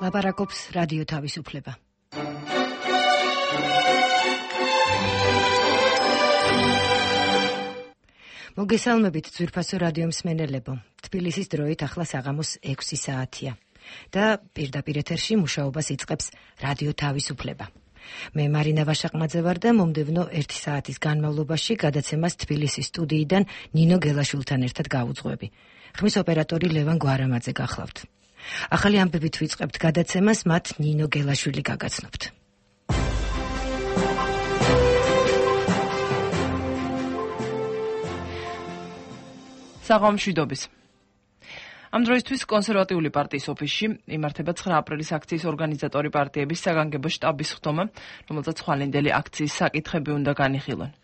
ლაპარაკობს რადიო თავისუფლება. მოგესალმებით ძვირფასო რადიო მსმენელებო. თბილისის დროით ახლა საღამოს 6 საათია და პირდაპირ ეთერში მუშაობას იწყებს რადიო თავისუფლება. მე მარინა ვაშაყმაძე ვარ და მომდევნო 1 საათის განმავლობაში გადაცემას თბილისის სტუდიიდან ნინო გელაშვილთან ერთად გავუძღვები. ხმის ოპერატორი ლევან გვარამაძე გახლავთ. ახალი ამბებით ვიწყებთ გადაცემას, მათ ნინო გელაშვილი გაგაცნობთ. საღამშვიდობის. ამ დროისთვის კონსერვატიული პარტიის ოფისში იმართება 9 აპრილის აქციის ორგანიზატორი პარტიების საგანგებო შტაბის ხდომა, რომელზეც ხვალინდელი აქციის საკითხები უნდა განიხილონ.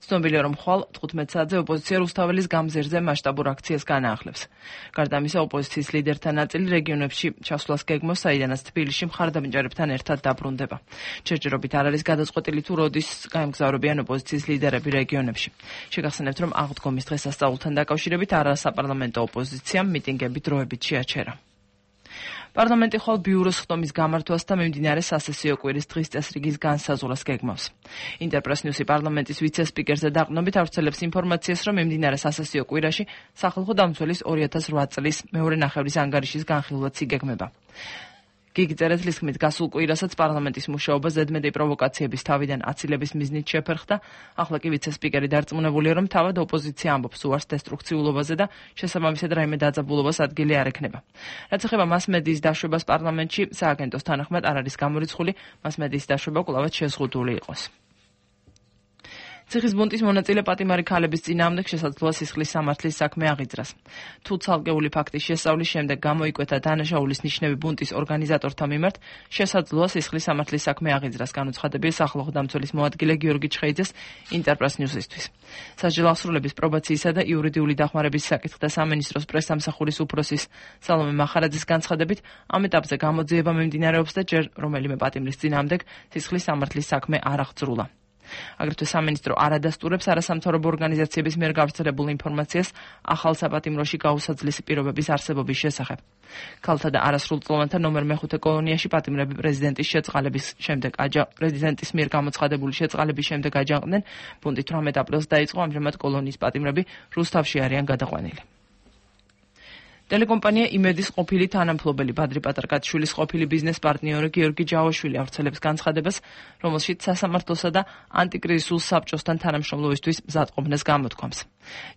ცნობილია, რომ ხვალ 15 საათზე ოპოზიცია რუსთაველის გამზერზე მასშტაბურ აქციას განაახლებს. გარდა ამისა, ოპოზიციის ლიდერთა ნაწილი რეგიონებში ჩასვლას გეგმავს, საიდანაც თბილისში მხარდამჭერებთან ერთად დაბრუნდება. ჯერჯერობით არ არის გადაწყვეტილი თუ როდის გაემგზავრებიან ოპოზიციის ლიდერები რეგიონებში. შეგახსენებთ, რომ აღდგომის დღესასწაულთან დაკავშირებით არასაპარლამენტო ოპოზიციამ მიტინგები დროებით შეაჩერა. პარლამენტი ხვალ ბიუროს ხდომის გამართვას და მიმდინარე სასესიო კვირის დღის წესრიგის განსაზღვრას გეგმავს. ინტერპრეს ნიუსი პარლამენტის ვიცე-სპიკერზე დაყრდნობით ავრცელებს ინფორმაციას, რომ მიმდინარე სასესიო კვირაში სახალხო დამცველის 2008 წლის მეორე ნახევრის ანგარიშის განხილვაც იგეგმება. გიგი წერეთლის ხმით გასულ კვირასაც პარლამენტის მუშაობა ზედმეტი პროვოკაციების თავიდან აცილების მიზნით შეფერხდა. ახლა კი ვიცე-სპიკერი დარწმუნებულია, რომ თავად ოპოზიცია ამბობს უარს დესტრუქციულობაზე და შესაბამისად რაიმე დაძაბულობას ადგილი არ ექნება. რაც ეხება მასმედიის დაშვებას პარლამენტში, სააგენტოს თანახმად არ არის გამორიცხული, მასმედიის დაშვება კვლავაც შეზღუდული იყოს. ციხის ბუნტის მონაწილე პატიმარი ქალების წინააღმდეგ შესაძლოა სისხლის სამართლის საქმე აღიძრას. თუ ცალკეული ფაქტის შესწავლის შემდეგ გამოიკვეთა დანაშაულის ნიშნები ბუნტის ორგანიზატორთა მიმართ, შესაძლოა სისხლის სამართლის საქმე აღიძრას, განუცხადებია სახალხო დამცველის მოადგილე გიორგი ჩხეიძეს ინტერპრეს ნიუსისთვის. სასჯელო აღსრულების პრობაციისა და იურიდიული დახმარების საკითხთა სამინისტროს პრესსამსახურის უფროსის სალომე მახარაძის განცხადებით, ამ ეტაპზე გამოძიება მიმდინარეობს და ჯერ რომელიმე პატიმრის წინააღმდეგ სისხლის სამართლის საქმე არ აღძრულა. აგრეთვე სამინისტრო არ ადასტურებს არასამთავრობო ორგანიზაციების მიერ გავრცელებულ ინფორმაციას ახალ საპატიმროში გაუსაძლისი პირობების არსებობის შესახებ. ქალთა და არასრულწლოვანთა ნომერ მე-5 კოლონიაში პატიმრები პრეზიდენტის მიერ გამოცხადებული შეწყალების შემდეგ აჯანყდნენ. ბუნტი 18 აპრილს დაიწყო, ამჟამად კოლონიის პატიმრები რუსთავში არიან გადაყვანილი. ტელეკომპანია იმედის ყოფილი თანამფლობელი ბადრი პატარკათიშვილის ყოფილი ბიზნეს პარტნიორი გიორგი ჯავაშვილი ავრცელებს განცხადებას, რომელშიც სასამართლოსა და ანტიკრიზისულ საბჭოსთან თანამშრომლობისთვის მზადყოფნას გამოთქვამს.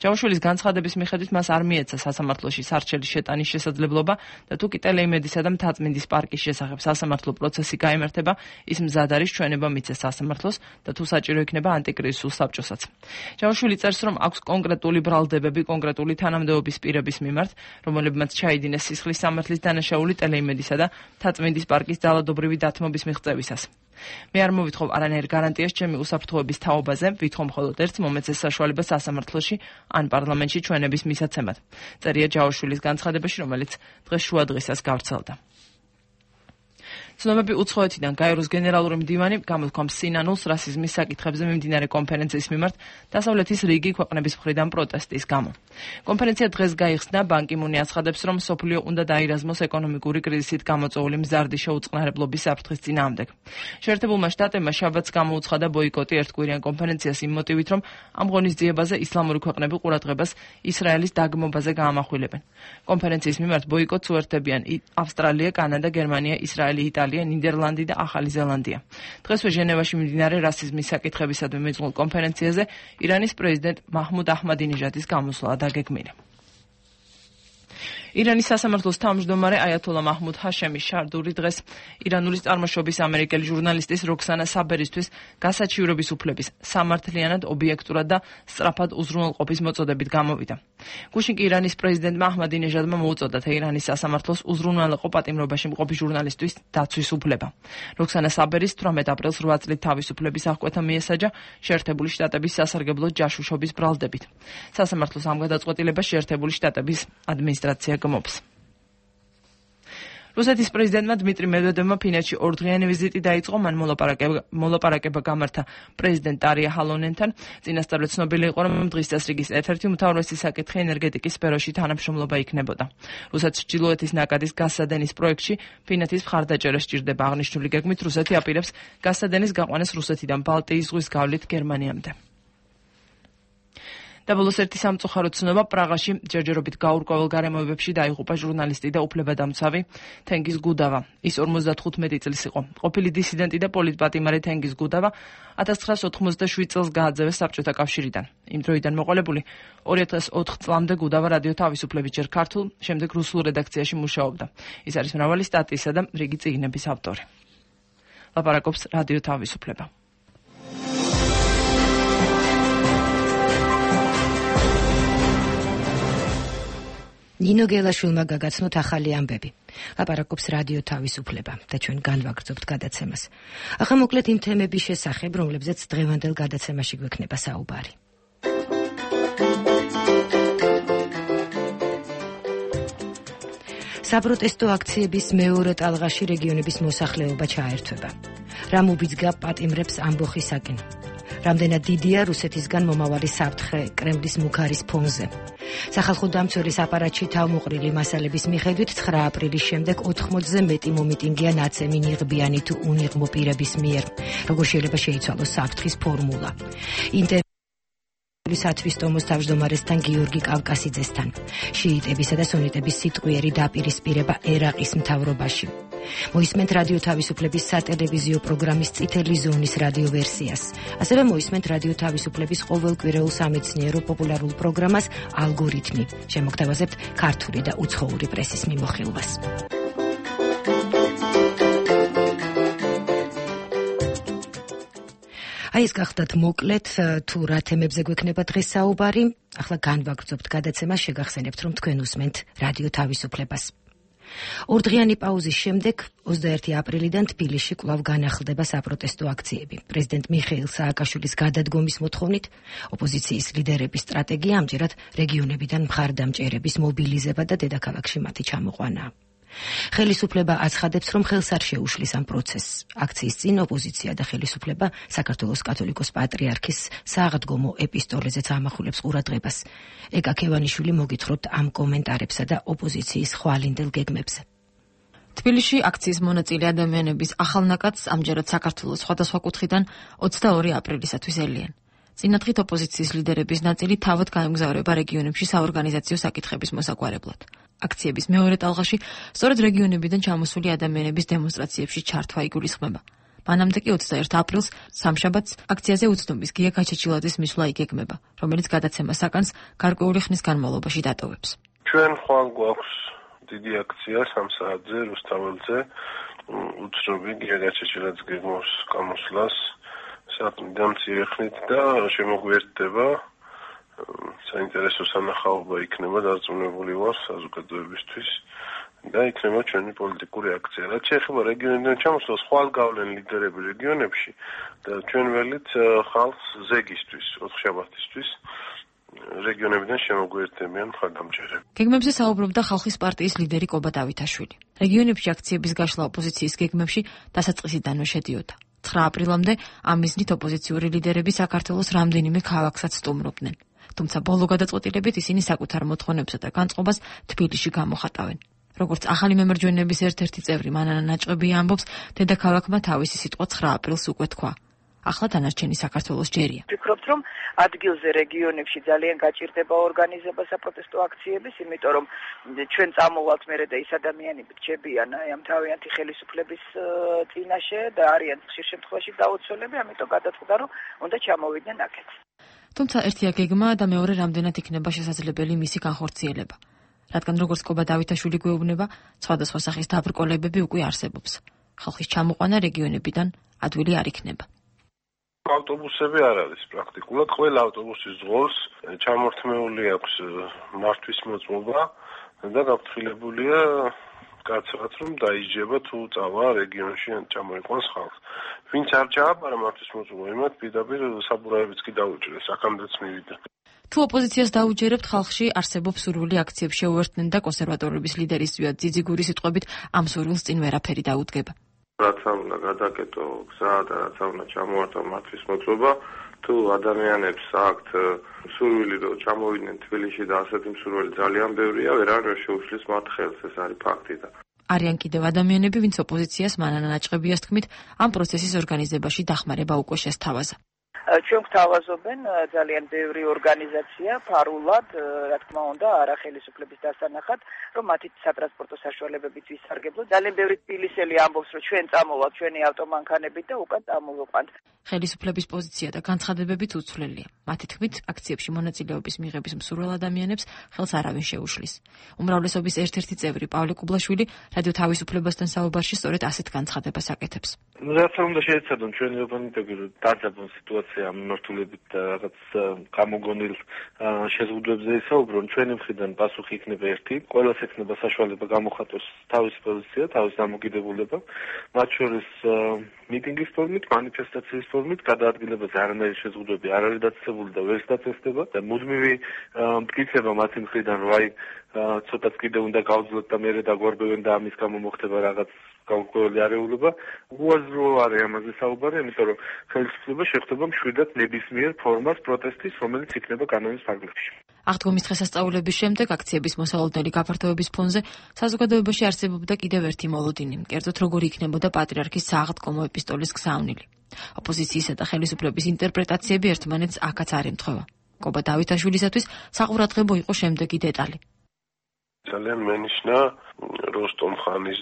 ჯავაშვილის განცხადების მიხედვით მას არ მიეცა სასამართლოში სარჩელის შეტანის შესაძლებლობა და თუ კი ტელეიმედისა და მთაწმინდის პარკის შესახებ სასამართლო პროცესი გაიმართება, ის მზად არის ჩვენება მიცეს სასამართლოს და თუ საჭირო იქნება ანტიკრიზისულ საბჭოსაც. ჯავაშვილი წერს, რომ აქვს კონკრეტული ბრალდებები კონკრეტული თანამდებობის პირების მიმართ, რომლებმაც ჩაიდინეს სისხლის სამართლის დანაშაული ტელეიმედისა და მთაწმინდის პარკის ძალადობრივი დათმობის მიღწევისას. მე არ მოვითხოვ არანაირ გარანტიას ჩემი უსაფრთხოების თაობაზე, ვითხოვ მხოლოდ ერთს, მომეცეს საშუალება სასამართლოში ან პარლამენტში ჩვენების მისაცემად. წერია ჯავაშვილის განცხადებაში, რომელიც დღეს შუადღისას გავრცელდა. ცნობები უცხოეთიდან გაეროს გენერალური მდივანი გამოთქვამს სინანულს რასიზმის საკითხებზე მიმდინარე კონფერენციის მიმართ დასავლეთის რიგი ქვეყნების მხრიდან პროტესტის გამო. კონფერენცია დღეს გაიხსნა, ბან კი მუნი აცხადებს, რომ მსოფლიო უნდა დაირაზმოს ეკონომიკური კრიზისით გამოწვეული მზარდი შეუწყნარებლობის საფრთხის წინააღმდეგ. შეერთებულმა შტატებმა შაბათს გამოუცხადა ბოიკოტი ერთკვირიან კონფერენციას იმ მოტივით, რომ ამ ღონისძიებაზე ისლამური ქვეყნები ყურადღებას ისრაელის დაგმობაზე გაამახვილებენ. კონფერენციის მიმართ ბოიკოტს უერთდებიან ავსტრალია, კანადა, გერმანია, ისრაელი, იტალია, ნიდერლანდი და ახალი ზელანდია. დღესვე ჟენევაში მიმდინარე რასიზმის საკითხებისადმი მიძღულ კონფერენციაზე ირანის პრეზიდენტ მაჰმუდ აჰმადინეჟადის გამოსვლა დაგეგმილი. ირანის სასამართლოს თავმჯდომარე აიათოლა მაჰმუდ ჰაშემი შარდური დღეს ირანული წარმოშობის ამერიკელი ჟურნალისტის როქსანა საბერისთვის გასაჩივრების უფლების სამართლიანად, ობიექტურად და სწრაფად უზრუნველყოფის მოწოდებით გამოვიდა. გუშინ კი ირანის პრეზიდენტმა აჰმადინეჟადმა მოუწოდა თეირანის სასამართლოს უზრუნველყო პატიმრობაში მყოფი ჟურნალისტვის დაცვის უფლება. როქსანა საბერის 18 აპრილს 8 წლით თავისუფლების აღკვეთა მიესაჯა შეერთებული შტატების სასარგებლო ჯაშუშობის ბრალდებით. სასამართლოს ამ გადაწყვეტილებას შეერთებული შტატების ადმინისტრაცია გმობს. რუსეთის პრეზიდენტმა დმიტრი მედვედევმა ფინეთში ორდღიანი ვიზიტი დაიწყო, მან მოლაპარაკება გამართა პრეზიდენტ ტარია ჰალონენთან. წინასწარ ცნობილი იყო, რომ დღის წესრიგის ერთ-ერთი უმთავრესი საკითხი ენერგეტიკის სფეროში თანამშრომლობა იქნებოდა. რუსეთის ჩრდილოეთის ნაკადის გაზსადენის პროექტში ფინეთის მხარდაჭერა სჭირდება. აღნიშნული გეგმით რუსეთი აპირებს გაზსადენის გაყვანას რუსეთიდან ბალტიის ზღვის გავლით გერმანიამდე. და ბოლოს ერთი სამწუხარო ცნობა პრაღაში ჯერჯერობით გაურკვეველ გარემოებებში დაიღუპა ჟურნალისტი და უფლებადამცავი თენგიზ გუდავა. ის 55 წლის იყო. ყოფილი დისიდენტი და პოლიტპატიმარი თენგიზ გუდავა 1987 წელს გააძევეს საბჭოთა კავშირიდან. იმ დროიდან მოყოლებული 2004 წლამდე გუდავა რადიო თავისუფლების ჯერ ქართულ, შემდეგ რუსულ რედაქციაში მუშაობდა. ის არის მრავალი სტატიისა და რიგი წიგნების ავტორი. ლაპარაკობს რადიო თავისუფლება. ნინო გელაშვილმა გაგაცნოთ ახალი ამბები. ლაპარაკობს რადიო თავისუფლება და ჩვენ განვაგრძობთ გადაცემას. ახლა მოკლედ იმ თემების შესახებ, რომლებზეც დღევანდელ გადაცემაში გვექნება საუბარი. საპროტესტო აქციების მეორე ტალღაში რეგიონების მოსახლეობა ჩაერთვება. რა მობიძგა პატიმრებს ამბოხისაკენ? რამდენად დიდია რუსეთისგან მომავალი საფრთხე კრემლის მუქარის ფონზე? სახალხო დამცველის აპარატში თავმოყრილი მასალების მიხედვით 9 აპრილის შემდეგ 80-ზე მეტი მომიტინგია ნაცემი ნიღბიანი თუ უნიღმო პირების მიერ. როგორ შეიძლება შეიცვალოს საფრთხის ფორმულა? სათვისტომოს თავმჯდომარესთან გიორგი კავკასიძესთან. შიიტებისა და სუნიტების სიტყვიერი დაპირისპირება ერაყის მთავრობაში. მოისმენთ რადიო თავისუფლების სატელევიზიო პროგრამის წითელი ზონის რადიო ვერსიას. ასევე მოისმენთ რადიო თავისუფლების ყოველკვირეულ სამეცნიერო პოპულარულ პროგრამას ალგორითმი. შემოგთავაზებთ ქართული და უცხოური პრესის მიმოხილვას. აი ეს გახდათ მოკლედ თუ რა თემებზე გვექნება დღეს საუბარი. ახლა განვაგრძობთ გადაცემას, შეგახსენებთ, რომ თქვენ უსმენთ რადიო თავისუფლებას. ორდღიანი პაუზის შემდეგ 21 აპრილიდან თბილისში კვლავ განახლდება საპროტესტო აქციები. პრეზიდენტ მიხეილ სააკაშვილის გადადგომის მოთხოვნით ოპოზიციის ლიდერების სტრატეგია ამჯერად რეგიონებიდან მხარდამჭერების მობილიზება და დედაქალაქში მათი ჩამოყვანა. ხელისუფლება აცხადებს, რომ ხელს არ შეუშლის ამ პროცესს. აქციის წინ ოპოზიცია და ხელისუფლება საქართველოს კათოლიკოს პატრიარქის საღდგომო ეპისტოლეზეც ამახვილებს ყურადღებას. ეკა ქევანიშვილი მოგითხრობთ ამ კომენტარებსა და ოპოზიციის ხვალინდელ გეგმებზე. თბილისში აქციის მონაწილე ადამიანების ახალ ნაკადს ამჯერად საქართველოს სხვადასხვა კუთხიდან 22 აპრილისათვის ელიან. წინა დღით ოპოზიციის ლიდერების ნაწილი თავად გაემგზავრება რეგიონებში საორგანიზაციო საკითხების მოსაგვარებლად. აქციების მეორე ტალღაში სწორედ რეგიონებიდან ჩამოსული ადამიანების დემონსტრაციებში ჩართვა იგულისხმება. მანამდე კი 21 აპრილს სამშაბათს აქციაზე უცნობის გია გაჩეჩილაძის მისვლა იგეგმება, რომელიც გადაცემას აკანს გარკვეული ხნის განმავლობაში დატოვებს. ჩვენ ხვალ გვაქვს დიდი აქცია 3 საათზე რუსთაველზე უცნობი გია გაჩეჩილაძის გეგმავს გამოსვლას საათიდან მცირე ხნით და შემოგვიერთდება საინტერესო სანახაობა იქნება დარწმუნებული ვარ საზოგადოებისთვის და იქნება ჩვენი პოლიტიკური აქცია. რაც შეეხება რეგიონებიდან ჩამოსვლას, ხვალ გავლენ ლიდერები რეგიონებში და ჩვენ ველით ხალხს ზეგისთვის, ოთხშაბათისთვის რეგიონებიდან შემოგვიერთდებიან მხარდამჭერები. გეგმებზე საუბრობდა ხალხის პარტიის ლიდერი კობა დავითაშვილი. რეგიონებში აქციების გაშლა ოპოზიციის გეგმებში დასაწყისიდანვე შედიოდა. 9 აპრილამდე ამ მიზნით ოპოზიციური ლიდერები საქართველოს რამდენიმე ქალაქსაც სტუმრობდნენ. თუმცა ბოლო გადაწყვეტილებით ისინი საკუთარ მოთხოვნებსა და განწყობას თბილისში გამოხატავენ. როგორც ახალი მემარჯვენეების ერთ-ერთი წევრი მანანა ნაჭყებია ამბობს, დედაქალაქმა თავისი სიტყვა 9 აპრილს უკვე თქვა. ახლა დანარჩენი საქართველოს ჯერია. ვფიქრობთ, რომ ადგილზე რეგიონებში ძალიან გაჭირდება ორგანიზება საპროტესტო აქციების, იმიტომ რომ ჩვენ წამოვალთ მერე და ის ადამიანები რჩებიან ამ თავიანთი ხელისუფლების წინაშე და არიან ხშირ შემთხვევაში დაუცველები, ამიტომ გადაწყვეტა, რომ უნდა ჩამოვიდნენ აქეთ. თუმცა ერთია გეგმა და მეორე რამდენად იქნება შესაძლებელი მისი განხორციელება. რადგან როგორც კობა დავითაშვილი გვეუბნება, სხვადასხვა სახის დაბრკოლებები უკვე არსებობს. ხალხის ჩამოყვანა რეგიონებიდან ადვილი არ იქნება. ავტობუსები არ არის პრაქტიკულად. ყველა ავტობუსის ზღოლს ჩამორთმეული აქვს მართვის მოწმობა და გაფრთხილებულია კაცრად, რომ დაიჯება თუ წავა რეგიონში ან ჩამოიყვანს ხალხს. ვინც არ ჩააბარა მართვის მოწმობა, იმათ პირდაპირ საბურავებიც კი დაუჭირეს, აქამდეც მივიდა. თუ ოპოზიციას დაუჯერებთ, ხალხში არსებობს სურვილი აქციებს შეუერთდნენ და კონსერვატორების ლიდერის ზვიად ძიძიგურის სიტყვებით ამ სურვილს წინ ვერაფერი დაუდგება. რაც უნდა გადაკეტო გზა და რაც უნდა ჩამოართვა მათთვის მოწობა, თუ ადამიანებს აქვთ სურვილი რომ ჩამოვიდნენ თბილისში და ასეთი მსურველი ძალიან ბევრია, ვერავინ შეუშლის მათ ხელს, ეს არის ფაქტი და არიან კიდევ ადამიანები, ვინც ოპოზიციას მანანა ნაჭყებიას თქმით, ამ პროცესის ორგანიზებაში დახმარება უკვე შესთავაზა. ჩვენ გვთავაზობენ ძალიან ბევრი ორგანიზაცია ფარულად, რა თქმა უნდა, არა ხელისუფლების დასანახად, რომ მათი სატრანსპორტო საშუალებებით ვისარგებლოთ. ძალიან ბევრი თბილისელი ამბობს, რომ ჩვენ წამოვალთ ჩვენი ავტომანქანებით და უკან წამოვიყვანთ. ხელისუფლების პოზიცია და განცხადებებიც უცვლელია. მათი თქმით, აქციებში მონაწილეობის მიღების მსურველ ადამიანებს ხელს არავინ შეუშლის. უმრავლესობის ერთ-ერთი წევრი პავლე კუბლაშვილი რადიო თავისუფლებასთან საუბარში სწორედ ასეთ განცხადებას აკეთებს. რაც უნდა შეეცადონ ჩვენი ოპონენტები, რომ დაძაბონ სიტუაცია მიმართულებით და რაღაც გამოგონილ შეზღუდვებზე ისაუბრონ, ჩვენი მხრიდან პასუხი იქნება ერთი, ყველას ექნება საშუალება გამოხატოს თავისი პოზიცია, თავისი დამოკიდებულება, მათ შორის მიტინგის ფორმით, მანიფესტაციის ფორმით, გადაადგილებაზე არანაირი შეზღუდვები არ არის დაწესებული და ვერ დაწესდება და მუდმივი მტკიცება მათი მხრიდან, რომ აი ცოტაც კიდე უნდა გავძლოთ და მერე დაგვარბევენ და ამის გამო მოხდება რაღაც გაურკვეველი არეულობა. უაზრო არის ამაზე საუბარი, იმიტომ რომ ხელისუფლება შეხვდება მშვიდად ნებისმიერ ფორმას პროტესტის, რომელიც იქნება კანონის ფარგლებში. აღდგომის დღესასწაულების შემდეგ აქციების მოსალოდნელი გაფართოების ფონზე საზოგადოებაში არსებობდა კიდევ ერთი მოლოდინი, კერძოდ როგორი იქნებოდა პატრიარქის სააღდგომო ეპისტოლის გზავნილი. ოპოზიციისა და ხელისუფლების ინტერპრეტაციები ერთმანეთს აქაც არ ემთხვევა. კობა დავითაშვილისათვის საყურადღებო იყო შემდეგი დეტალი. ძალიან მენიშნა როსტომ ხანის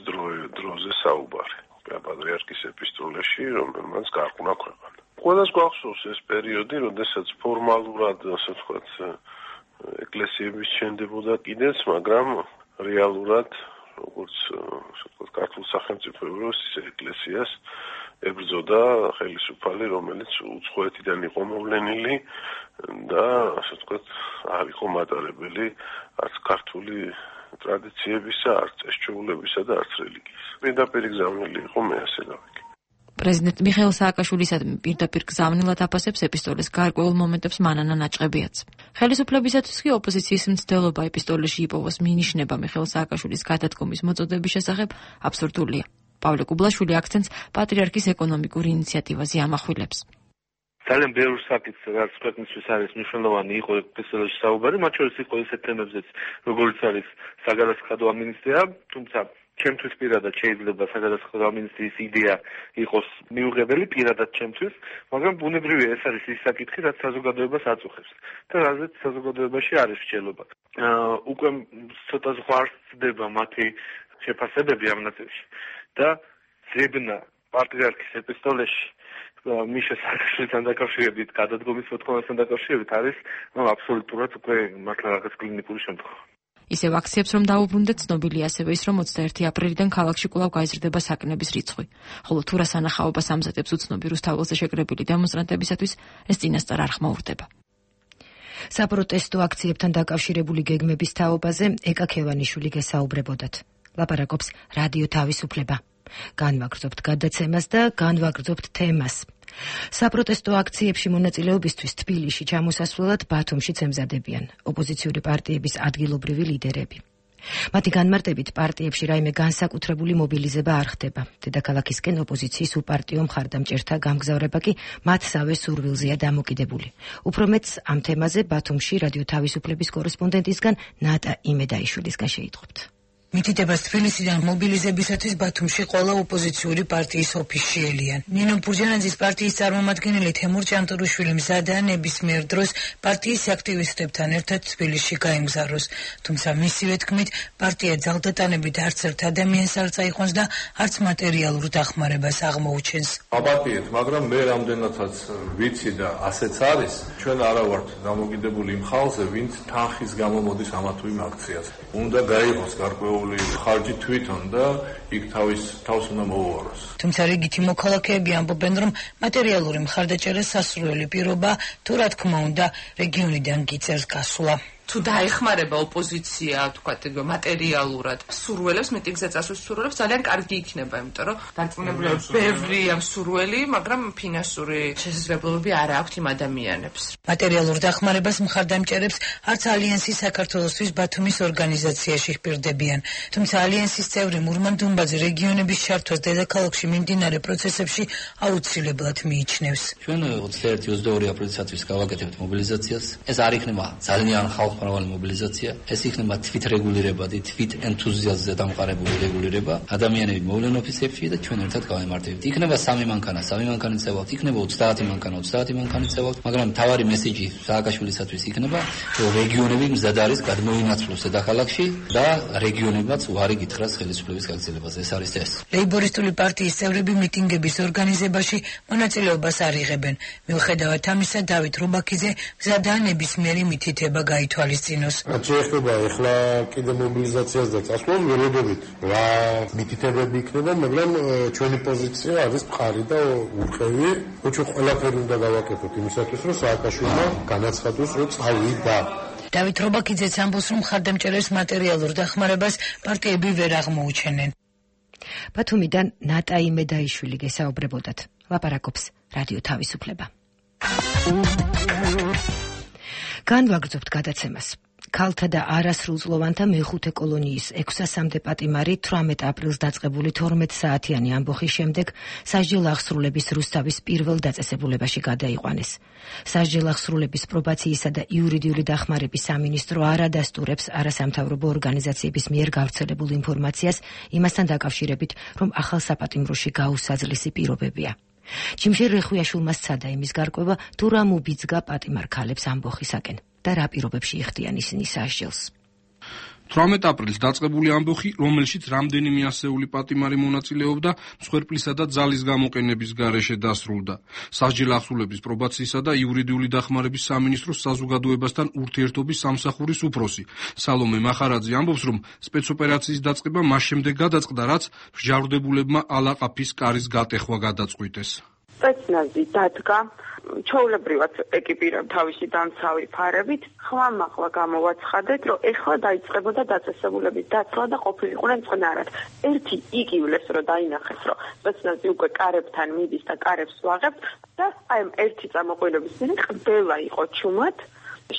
დროზე საუბარი პატრიარქის ეპისტოლეში, რომელმაც გარყუნა ქვეყანა. ყველას გვახსოვს ეს პერიოდი, როდესაც ფორმალურად, ასე ვთქვათ, ეკლესიების შენდებოდა კიდეც, მაგრამ რეალურად, როგორც ასე ვთქვათ, ქართულ სახელმწიფოებს, ისე ეკლესიას ებრძოდა ხელისუფალი, რომელიც უცხოეთიდან იყო მოვლენილი და ასე ვთქვათ, არ იყო მატარებელი არც ქართული ტრადიციებისა, არც წესჩვეულებისა და არც რელიგიის. პირდაპირ გზავნილი იყო, მე ასე გავიგე. პრეზიდენტ მიხეილ სააკაშვილისადმი პირდაპირ გზავნილად აფასებს ეპისტოლის გარკვეულ მომენტებს მანანა ნაჭყებიაც. ხელისუფლებისათვის კი ოპოზიციის მცდელობა ეპისტოლეში იპოვოს მინიშნება მიხეილ სააკაშვილის გადადგომის მოწოდების შესახებ აბსურდულია. პავლე კუბლაშვილი აქცენტს პატრიარქის ეკონომიკურ ინიციატივაზე ამახვილებს. ძალიან ბევრ საკითხს, რაც ქვეყნისთვის არის მნიშვნელოვანი, იყო ეპისტოლეში საუბარი, მათ შორის იყო ისეთ თემებზეც, როგორც არის საგადასახადო ამინისტრია, თუმცა ჩემთვის პირადად შეიძლება საგადასახადო ამინისტრიის იდეა იყოს მიუღებელი პირადად ჩემთვის, მაგრამ ბუნებრივია ეს არის ის საკითხი, რაც საზოგადოებას აწუხებს და რაზეც საზოგადოებაში არის მსჯელობა. უკვე ცოტა ზღვარდება მათი შეფასებები ამ ნაწილში და ზებნა პატრიარქის ეპისტოლეში მიშა სააკაშვილთან დაკავშირებით, გადადგომის მოთხოვნასთან დაკავშირებით არის აბსოლუტურად უკვე მართლა რაღაც კლინიკური შემთხვევა. ისევ აქციებს რომ დაუბრუნდეთ, ცნობილია ასევე ის, რომ 21 აპრილიდან ქალაქში კვლავ გაიზრდება საკნების რიცხვი. ხოლო თუ რა სანახაობას ამზადებს უცნობი რუსთაველზე შეკრებილი დემონსტრანტებისათვის, ეს წინასწარ არ ხმაურდება. საპროტესტო აქციებთან დაკავშირებული გეგმების თაობაზე ეკა ქევანიშვილი გესაუბრებოდათ. ლაპარაკობს რადიო თავისუფლება. განვაგრძობთ გადაცემას და განვაგრძობთ თემას. საპროტესტო აქციებში მონაწილეობისთვის თბილისში ჩამოსასვლელად ბათუმშიც ემზადებიან ოპოზიციური პარტიების ადგილობრივი ლიდერები. მათი განმარტებით პარტიებში რაიმე განსაკუთრებული მობილიზება არ ხდება. დედაქალაქისკენ ოპოზიციის უპარტიო მხარდამჭერთა გამგზავრება კი მათსავე სურვილზეა დამოკიდებული. უფრო მეტს ამ თემაზე ბათუმში რადიო თავისუფლების კორესპონდენტისგან ნატა იმედაიშვილისგან შეიტყობთ. მითითებას თბილისიდან მობილიზებისათვის ბათუმში ყველა ოპოზიციური პარტიის ოფისში ელიან. ნინო ბურჯანაძის პარტიის წარმომადგენელი თემურ ჭანტურიშვილი მზადაა ნებისმიერ დროს პარტიის აქტივისტებთან ერთად თბილისში გაემგზავროს. თუმცა მისივე თქმით, პარტია ძალდატანებით არც ერთ ადამიანს არ წაიყვანს და არც მატერიალურ დახმარებას აღმოუჩენს. აპატიეთ, მაგრამ მე რამდენადაც ვიცი და ასეც არის, ჩვენ არა ვართ დამოკიდებული იმ ხალხზე, ვინც თანხის გამო მოდის ამა თუ იმ აქციაზე. უნდა გაიღოს გარკვეული ხარჯი თვითონ და იქ თავს უნდა მოუაროს. თუმცა რიგითი მოქალაქეები ამბობენ, რომ მატერიალური მხარდაჭერა სასურველი პირობა, თუ რა თქმა უნდა, რეგიონიდან გიწევს გასვლა. თუ დაეხმარება ოპოზიცია, თქვათ, მატერიალურად სურველებს, მიტინგზე წასვლის სურველებს ძალიან კარგი იქნება, იმიტომ რომ დარწმუნებულია ბევრი ამ სურველი, მაგრამ ფინანსური შესაძლებლობები არ აქვთ იმ ადამიანებს. მატერიალურ დახმარებას მხარდამჭერებს არც ალიანსი საქართველოსთვის ბათუმის ორგანიზაციაში ჰპირდებიან. თუმცა ალიანსის წევრი მურმან დუმბაძე რეგიონების ჩართვას დედაქალაქში მიმდინარე პროცესებში აუცილებლად მიიჩნევს. ჩვენ 21-22 აპრილისათვის გავაკეთებთ მობილიზაციას. ეს არ იქნება ძალიან ხალხმრავალი მობილიზაცია, ეს იქნება თვითრეგულირებადი, თვით ენთუზიაზმზე დამყარებული რეგულირება. ადამიანები მოვლენ ოფისებში და ჩვენ ერთად გავემართებთ. იქნება 3 მანქანა, 3 მანქანით წევალთ, იქნება 30 მანქანა, 30 მანქანით წევალთ, მაგრამ თავარი მესიჯი სააკაშვილისათვის იქნება, რომ რეგიონები მზად არის გადმოინაცვლოს დედაქალაქში და რეგიონებმაც უარი გითხრას ხელისუფლების გაგრძელებაზე. ეს არის ეს. ლეიბორისტული პარტიის წევრები მიტინგების ორგანიზებაში მონაწილეობას არ იღებენ. მიუხედავად ამისა, დავით რუბაქიძე მზადაა ნებისმიერი მითითება გაითვალისწინოს. რაც შეეხება ახლა კიდე მობილიზაციას და წასვლას, ველოდებით რა მითითებები იქნება, მაგრამ ჩვენი პოზიცია არის მყარი და ურყევი. ჩვენ ყველაფერი უნდა გავაკეთოთ იმისათვის, რომ სააკაშვილმა განაცხადოს, რომ წავიდა. დავით რუბაქიძეც ამბობს, რომ მხარდამჭერებს მატერიალურ დახმარებას პარტიები ვერ აღმოუჩენენ. ბათუმიდან ნატაი მედაიშვილი გესაუბრებოდათ. ლაპარაკობს რადიო თავისუფლება. განვაგრძობთ გადაცემას. ქალთა და არასრულწლოვანთა მეხუთე კოლონიის 600-მდე პატიმარი 18 აპრილს დაწყებული 12 საათიანი ამბოხის შემდეგ სასჯელ აღსრულების რუსთავის პირველ დაწესებულებაში გადაიყვანეს. სასჯელ აღსრულების პრობაციისა და იურიდიული დახმარების სამინისტრო არ ადასტურებს არასამთავრობო ორგანიზაციების მიერ გავრცელებულ ინფორმაციას იმასთან დაკავშირებით, რომ ახალ საპატიმროში გაუსაძლისი პირობებია. ჩიმშერ რეხვიაშვილმა სცადა იმის გარკვევა, თუ რა მუბიძგა პატიმარ ქალებს ამბოხისაკენ და რა პირობებში იხდიან ისინი სასჯელს. 18 აპრილს დაწყებული ამბოხი, რომელშიც რამდენიმე ასეული პატიმარი მონაწილეობდა, მსხვერპლისა და ძალის გამოყენების გარეშე დასრულდა. სასჯელ აღსრულების პრობაციისა და იურიდიული დახმარების სამინისტროს საზოგადოებასთან ურთიერთობის სამსახურის უფროსი სალომე მახარაძე ამბობს, რომ სპეცოპერაციის დაწყება მას შემდეგ გადაწყდა, რაც მსჯავრდებულებმა ალაყაფის კარის გატეხვა გადაწყვიტეს. სპეცნაზი დადგა, ჩვეულებრივად ეკიპირებ თავისი დამცავი ფარებით, ხმამაღლა გამოვაცხადეთ, რომ ეხლა დაიწყებოდა დაწესებულების დაცვა და ყოფილიყვნენ წყნარად. ერთი იკივლეს, რომ დაინახეს, რომ სპეცნაზი უკვე კარებთან მიდის და კარებს ვაღებთ და აი ერთი წამოყვანების წინ ყველა იყო ჩუმად,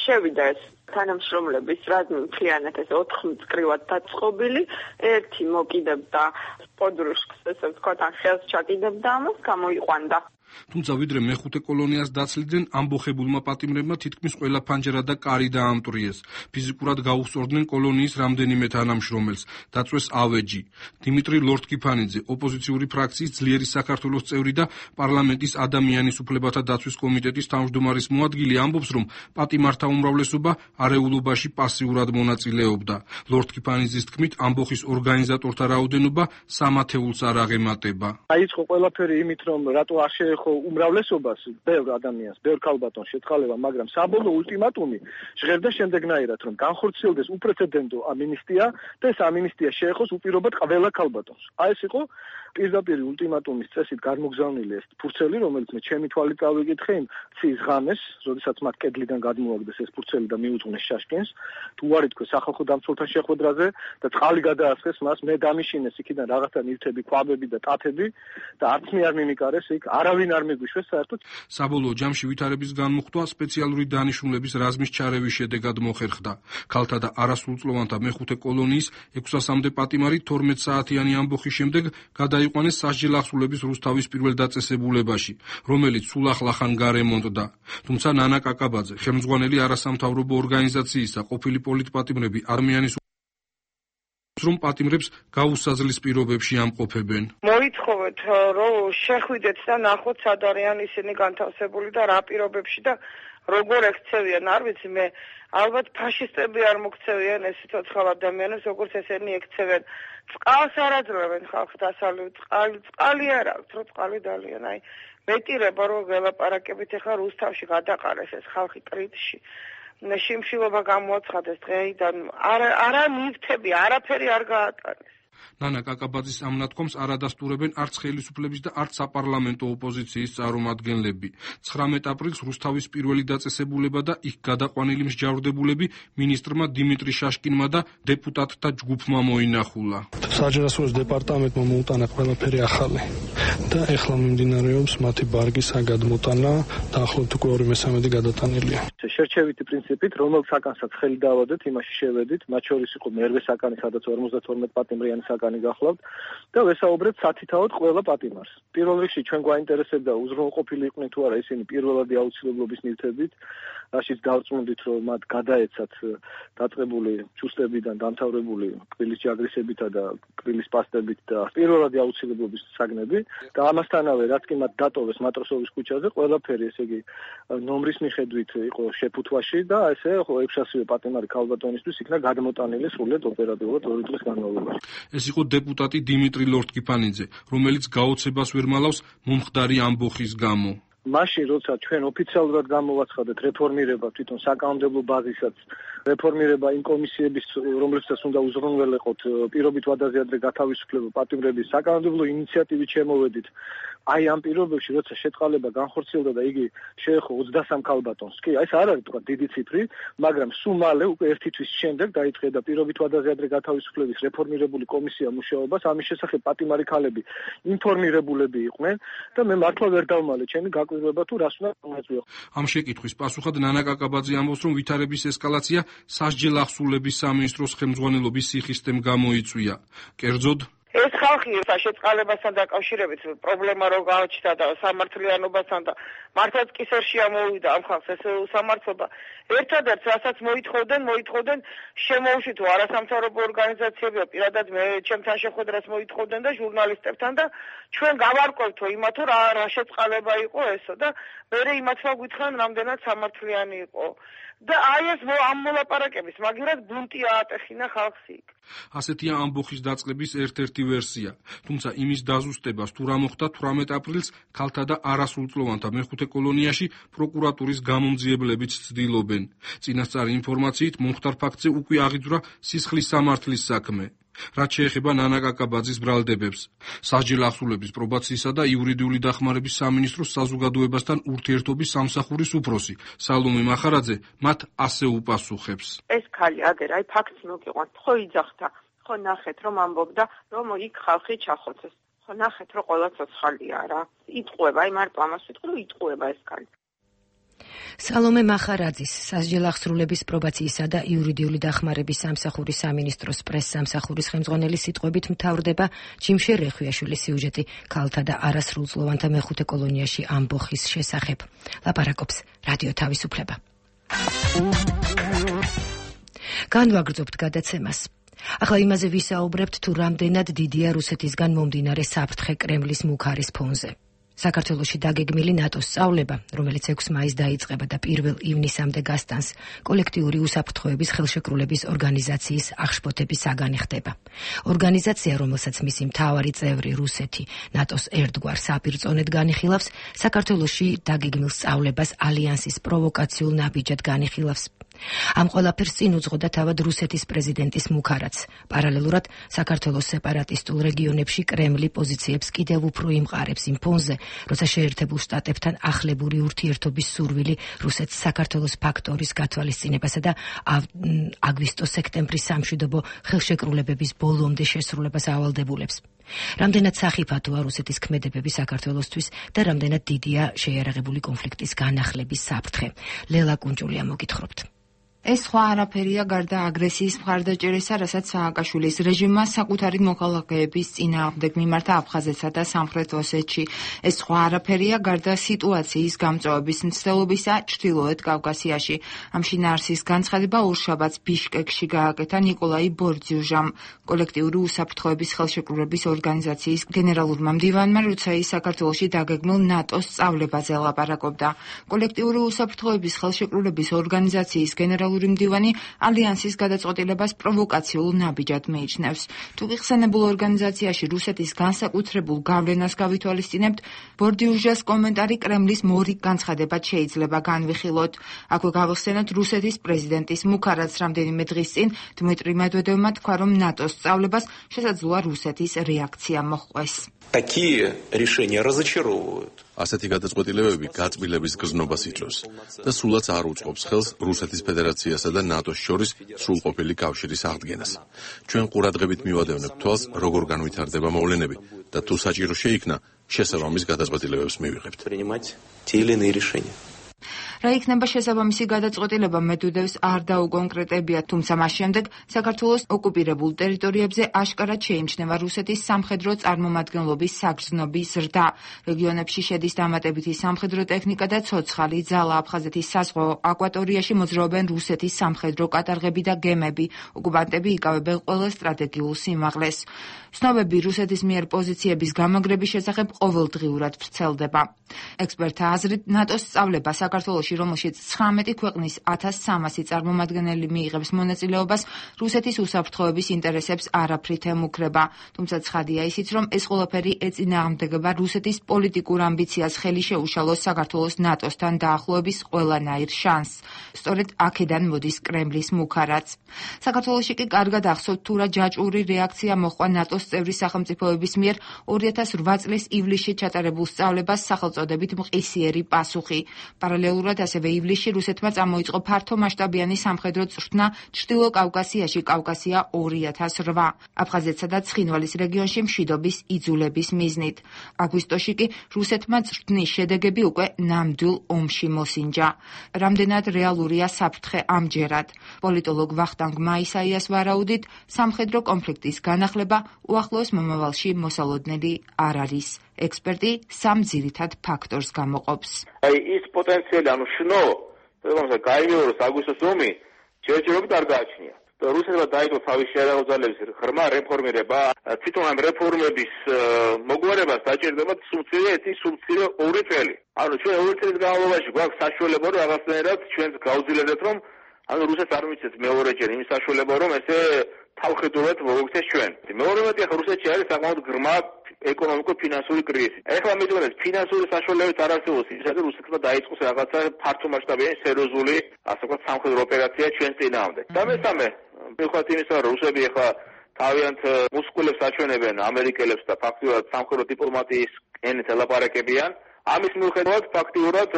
შევიდა ეს თანამშრომლების რაზმი მთლიანად ეს 4 მწკრივად დაწყობილი, ერთი მოკიდებდა პოდრუშკს, ესე ვთქვათ, ან ხელს ჩაკიდებდა ამას, გამოიყვანდა. თუმცა ვიდრე მეხუთე კოლონიას დაცლიდნენ, ამბოხებულმა პატიმრებმა თითქმის ყველა ფანჯარა და კარი დაამტვრიეს. ფიზიკურად გაუსწორდნენ კოლონიის რამდენიმე თანამშრომელს, დაწვეს ავეჯი. დიმიტრი ლორთქიფანიძე, ოპოზიციური ფრაქციის ძლიერი საქართველოს წევრი და პარლამენტის ადამიანის უფლებათა დაცვის კომიტეტის თავმჯდომარის მოადგილე ამბობს, რომ პატიმართა უმრავლესობა არეულობაში პასიურად მონაწილეობდა. ლორთქიფანიძის თქმით, ამბოხის ორგანიზატორთა რაოდენობა 3 ათეულს არ აღემატება. დაიწყო ყველაფერი იმით, რომ რატო არ შეეხო უმრავლესობას, ბევრ ადამიანს, ბევრ ქალბატონს შეწყალება, მაგრამ საბოლოო ულტიმატუმი ჟღერდა შემდეგნაირად, რომ განხორციელდეს უპრეცედენტო ამინისტია და ეს ამინისტია შეეხოს უპირობოდ ყველა ქალბატონს. აი ეს იყო პირდაპირ ულტიმატუმის წესით გამოგზავნილი ეს ფურცელი, რომელიც მე ჩემი თვალით წავიკითხე იმ ცის ღამეს, როდესაც მათ კედლიდან გადმოაგდეს ეს ფურცელი და მიუძღვნეს შაშკენს, თუ არ ითქვეს სახალხო დამცველთან შეხვედრაზე და წყალი გადაასხეს მას, მე დამიშინეს იქიდან რაღაცა ნივთები, კვაბები და ტათები და არც მე არ მიმიკარეს იქ, არავინ არ მიგვიშვეს საერთოდ. საბოლოო ჯამში ვითარების განმუხტვა სპეციალური დანიშნულების რაზმის ჩარევის შედეგად მოხერხდა. ქალთა და არასრულწლოვანთა მეხუთე კოლონიის 600-მდე პატიმარი 12 საათიანი ამბოხის შემდეგ გადაიყვანეს სასჯელ აღსრულების რუსთავის პირველ დაწესებულებაში, რომელიც სულ ახლახან გარემონტდა. თუმცა ნანა კაკაბაძე, ხელმძღვანელი არასამთავრობო ორგანიზაციისა, ყოფილი პოლიტპატიმრები ადამიანის რომ პატიმრებს გაუსაძლის პირობებში ამყოფებენ. მოითხოვეთ, რომ შეხვიდეთ და ნახოთ სად არიან ისინი განთავსებული და რა პირობებში და როგორ ექცევიან, არ ვიცი, მე ალბათ ფაშისტები არ მოქცევიან ეს ცოცხალ ადამიანებს, როგორც ესენი ექცევენ. წყალს არ აძლევენ ხალხს დასავლეთ, წყალი არ აქვს, რომ წყალი დალიან. აი, მეტირება რომ ველაპარაკებით ახლა რუსთავში გადაყარეს ეს ხალხი კრიტში. შიმშილობა გამოაცხადეს დღეიდან, არა ნივთები, არაფერი არ გაატანეს. ნანა კაკაბაძის ამ ნათქვამს არ ადასტურებენ არც ხელისუფლების და არც საპარლამენტო ოპოზიციის წარმომადგენლები. 19 აპრილს რუსთავის პირველი დაწესებულება და იქ გადაყვანილი მსჯავრდებულები მინისტრმა დიმიტრი შაშკინმა და დეპუტატთა ჯგუფმა მოინახულა. საჯარისმოს დეპარტამენტმა მოუტანა ყველაფერი ახალი და ეხლა მიმდინარეობს მათი ბარგის გადმოტანა და ახლობთ უკვე 2/3 გადატანილია. შერჩევითი პრინციპით, რომელ საკანსაც ხელი დავადეთ, იმაში შევედით, მათ შორის იყო მერვე საკანი, სადაც 52 პატიმრიანი საკანი გახლავთ და ვესაუბრეთ სათითაოდ ყველა პატიმარს. პირველ რიგში ჩვენ გვაინტერესებდა უზრუნველყოფილი იყვნენ თუ არა ისინი პირველადი აუცილებლობის ნივთებით, რაშიც დავწმუნდით, რომ მათ გადაეცათ დაწყებული ჩუსტებიდან დამთავრებული კბილის ჯაგრისებითა და კბილის პასტებით და პირველადი აუცილებლობის საგნები და ამასთანავე რაც კი მათ დატოვეს მატროსოვის ქუჩაზე, ყველაფერი ესე იგი ნომრის მიხედვით იყო შეფუთვაში და ესე 600 პატიმარი ქალბატონისთვის იქნა გადმოტანილი სრულიად ოპერატიულად 2 დღის განმავლობაში. ეს იყო დეპუტატი დიმიტრი ლორთკიფანიძე, რომელიც გაოცებას ვერ მალავს მომხდარი ამბოხის გამო. მაშინ როცა ჩვენ ოფიციალურად გამოვაცხადეთ რეფორმირება თვითონ საკანონმდებლო ბაზისაც, რეფორმირება იმ კომისიების, რომლებსაც უნდა უზრუნველეყოთ პირობით ვადაზე გათავისუფლება პატიმრების საკანონმდებლო ინიციატივით შემოვედით. აი ამ პირობებში, როცა შეწყალება განხორციელდა და იგი შეეხო 23 ქალბატონს, კი, ეს არ არის თქვა დიდი ციფრი, მაგრამ სულ მალე უკვე ერთი თვის შემდეგ დაიწყება პირობით ვადაზე გათავისუფლების რეფორმირებული კომისია მუშაობას, ამის შესახებ პატიმარი ქალები ინფორმირებულები იყვნენ და მე მართლა ვერ დავმალე ჩემი გაკვირვება თუ რას უნდა მოეწვიო. ამ შეკითხვის პასუხად ნანა კაკაბაძე ამბობს, რომ ვითარების ესკალაცია სასჯელ ახსულების სამინისტროს ხელმძღვანელობის სიხისტემ გამოიწვია. კერძოდ ეს ხალხი შეწყალებასთან დაკავშირებით პრობლემა რო გააჩნდა და სამართლიანობასთან და მართლაც კისერში ამოვიდა ამ ხალხს ეს სამართლობა. ერთადერთ რასაც მოითხოვდნენ შემოუშვით არასამთავრობო ორგანიზაციებია პირადად მე ჩემთან შეხვედრას მოითხოვდნენ და ჟურნალისტებთან და ჩვენ გავარკვევთო იმათო რა შეწყალება იყო ესო და მე იმათმა გითხრან რამდენად სამართლიანი იყო. და აი ეს ამ მოლაპარაკების მაგერად ბუნტი აატეხინა ხალხს იქ. ასეთია ამბოხის დაწყების ერთ-ერთი ვერსია. თუმცა იმის დაზუსტებას თუ რა მოხდა 18 აპრილს ქალთა და არასრულწლოვანთა მეხუთე კოლონიაში პროკურატურის გამომძიებლებიც ცდილობენ. წინასწარი ინფორმაციით მომხდარ ფაქტზე უკვე აღიძვრა სისხლის სამართლის საქმე. რაც შეეხება ნანა კაკაბაძის ბრალდებებს. სასჯელ ახსულების პრობაციისა და იურიდიული დახმარების სამინისტროს საზოგადოებასთან ურთიერთობის სამსახურის უფროსი სალომე მახარაძე მათ ასე უპასუხებს. ეს ქალი აგერ აი ფაქტს მოგიყვანთ, ხო იძახდა, ხო ნახეთ რომ ამბობდა, რომ იქ ხალხი ჩახოცეს. ხო ნახეთ რომ ყველა ცოცხალია რა. იტყუება, აი მარტო ამას ვიტყვი, რომ იტყუება ეს ქალი. სალომე მახარაძის სასჯელ ახსრულების პრობაციისა და იურიდიული დახმარების სამსახურის სამინისტროს პრეს-სამსახურის ხელმძღვანელის სიტყვებით მთავრდება ჯიმშე რეხვიაშვილის სიუჟეტი ქალთა და არასრულწლოვანთა მეხუთე კოლონიაში ამბოხის შესახებ. ლაპარაკობს რადიო თავისუფლება. განვაგრძობთ გადაცემას. ახლა იმაზე ვისაუბრებთ, თუ რამდენად დიდია რუსეთისგან მომდინარე საფრთხე კრემლის მუქარის ფონზე. საქართველოში დაგეგმილი ნატოს სწავლება, რომელიც 6 მაისს დაიწყება და 1 ივნისამდე გასტანს, კოლექტიური უსაფრთხოების ხელშეკრულების ორგანიზაციის აღშფოთების საგანი ხდება. ორგანიზაცია, რომელსაც მისი მთავარი წევრი რუსეთი ნატოს ერთგვარ საპირწონედ განიხილავს, საქართველოში დაგეგმილ სწავლებას ალიანსის პროვოკაციულ ნაბიჯად განიხილავს. ამ ყველაფერს წინ უძღოდა თავად რუსეთის პრეზიდენტის მუქარაც. პარალელურად საქართველოს სეპარატისტულ რეგიონებში კრემლი პოზიციებს კიდევ უფრო იმყარებს იმ ფონზე, როცა შეერთებულ შტატებთან ახლებური ურთიერთობის სურვილი რუსეთს საქართველოს ფაქტორის გათვალისწინებასა და აგვისტო-სექტემბრის სამშვიდობო ხელშეკრულებების ბოლომდე შესრულებას ავალდებულებს. რამდენად სახიფათოა რუსეთის ქმედებები საქართველოსთვის და რამდენად დიდია შეიარაღებული კონფლიქტის განახლების საფრთხე. ლელა კუნჭულია მოგითხრობთ. ეს სხვა არაფერია გარდა აგრესიის მხარდაჭერისა, რასაც სააკაშვილის რეჟიმმა საკუთარი მოქალაქეების წინააღმდეგ მიმართა აფხაზეთსა და სამხრეთ ოსეთში. ეს სხვა არაფერია გარდა სიტუაციის გამწვავების მცდელობისა ჩრდილოეთ კავკასიაში. ამ შინაარსის განცხადება ორშაბათს ბიშკეკში გააკეთა ნიკოლაი ბორძიუჟამ, კოლექტიური უსაფრთხოების ხელშეკრულების ორგანიზაციის გენერალურმა მდივანმა, როცა ის საქართველოში დაგეგმილ ნატოს სწავლებაზე ლაპარაკობდა. კოლექტიური უსაფრთხოების ხელშეკრულების ორგანიზაციის გენერალურ გენერალური მდივანი ალიანსის გადაწყვეტილებას პროვოკაციულ ნაბიჯად მიიჩნევს. თუ ხსენებულ ორგანიზაციაში რუსეთის განსაკუთრებულ გავლენას გავითვალისწინებთ, ბორდიუჟას კომენტარი კრემლის მორიგ განცხადებად შეიძლება განვიხილოთ. აქვე გავიხსენოთ რუსეთის პრეზიდენტის მუქარაც რამდენიმე დღის წინ დმიტრი მედვედევმა თქვა, რომ ნატოს სწავლებას შესაძლოა რუსეთის რეაქცია მოჰყვეს. Такие решения разочаровывают. ასეთი გადაწყვეტილებები გაწმილების გზნობას იწვევს და სულაც არ უწყობს ხელს რუსეთის ფედერაციასა და ნატოს შორის სრულყოფილი კავშირის აღდგენას. ჩვენ ყურადღებით მივადევნებთ თვალს, როგორ განვითარდება მოვლენები და თუ საჭირო შეიქნა, შესაბამის გადაწყვეტილებებს მივიღებთ. რა იქნება შესაბამისი გადაწყვეტილება მედვედევს არ დაუკონკრეტებია, თუმცა მას შემდეგ საქართველოს ოკუპირებულ ტერიტორიებზე აშკარად შეიმჩნევა რუსეთის სამხედრო წარმომადგენლობის საგრძნობი ზრდა. რეგიონებში შედის დამატებითი სამხედრო ტექნიკა და ცოცხალი ძალა. აფხაზეთის საზღვაო აკვატორიაში მოძრაობენ რუსეთის სამხედრო კატარღები და გემები. ოკუპანტები იკავებენ ყველა სტრატეგიულ სიმაღლეს. ცნობები რუსეთის მიერ პოზიციების გამაგრების შესახებ ყოველდღიურად ვრცელდება. ექსპერტთა აზრით, ნატოს სწავლება საქართველოში, რომელშიც 19 ქვეყნის 1300 წარმომადგენელი მიიღებს მონაწილეობას, რუსეთის უსაფრთხოების ინტერესებს არაფრით ემუქრება. თუმცა ცხადია ისიც, რომ ეს ყველაფერი ეწინააღმდეგება რუსეთის პოლიტიკურ ამბიციას ხელი შეუშალოს საქართველოს ნატოსთან დაახლოების ყველანაირ შანსს. სწორედ აქედან მოდის კრემლის მუქარაც. საქართველოში კი კარგად ახსოვთ, თუ რა ჯაჭვური რეაქცია მოჰყვა ნატოს წევრი სახელმწიფოების მიერ 2008 წლის ივლისში ჩატარებულ სწავლებას სახელწოდებით მყისიერი პასუხი. პარალელურად ასევე ივლისში რუსეთმა წამოიწყო ფართომასშტაბიანი სამხედრო წვრთნა ჩრდილო კავკასიაში, კავკასია 2008, აფხაზეთსა და ცხინვალის რეგიონში მშვიდობის იძულების მიზნით. აგვისტოში კი რუსეთმა წვრთნის შედეგები უკვე ნამდვილ ომში მოსინჯა. რამდენად რეალურია საფრთხე ამჯერად? პოლიტოლოგ ვახტანგ მაისაიას ვარაუდით, სამხედრო კონფლიქტის განახლება უახლოეს მომავალში მოსალოდნელი არ არის. ექსპერტი სამ ძირითად ფაქტორს გამოყოფს. ის პოტენციალი, შნო, რომელსაც გაიმეოროს აგვისტოს ომი, ჯერჯერობით არ გააჩნია. რუსეთმა დაიწყო თავისი შეერაღო ძალების ღრმა რეფორმირება, თვითონ ამ რეფორმების მოგვარებას დაჭირდება სულ ორი წელი. ჩვენ ორი წლის განმავლობაში გვაქვს საშუალება, რომ რაღაცნაირად ჩვენს გავძილებდეთ, რომ რუსეთს არ მიცეთ მეორეჯერ იმის საშუალება, რომ ესე თავხედურად მოვიქცეს ჩვენ. მეორემეტი ახლა რუსეთში არის საკმაოდ ღრმა ეკონომიკო-ფინანსური კრიზისი. ეხლა მიდღეს ფინანსური საშუალებიც არ არსებობს იმისათვის, რომ რუსეთმა დაიწყოს რაღაცა ფართომასშტაბიანი სერიოზული, ასე ვთქვათ, სამხედრო ოპერაცია ჩვენს წინააღმდეგ. და მესამე, მიუხედავად იმისა, რომ რუსები ახლა თავიანთ მუსკულებს აჩვენებენ ამერიკელებს და ფაქტობრივად სამხედრო დიპლომატიის ენით ელაპარაკებიან, ამის მიუხედავად ფაქტიურად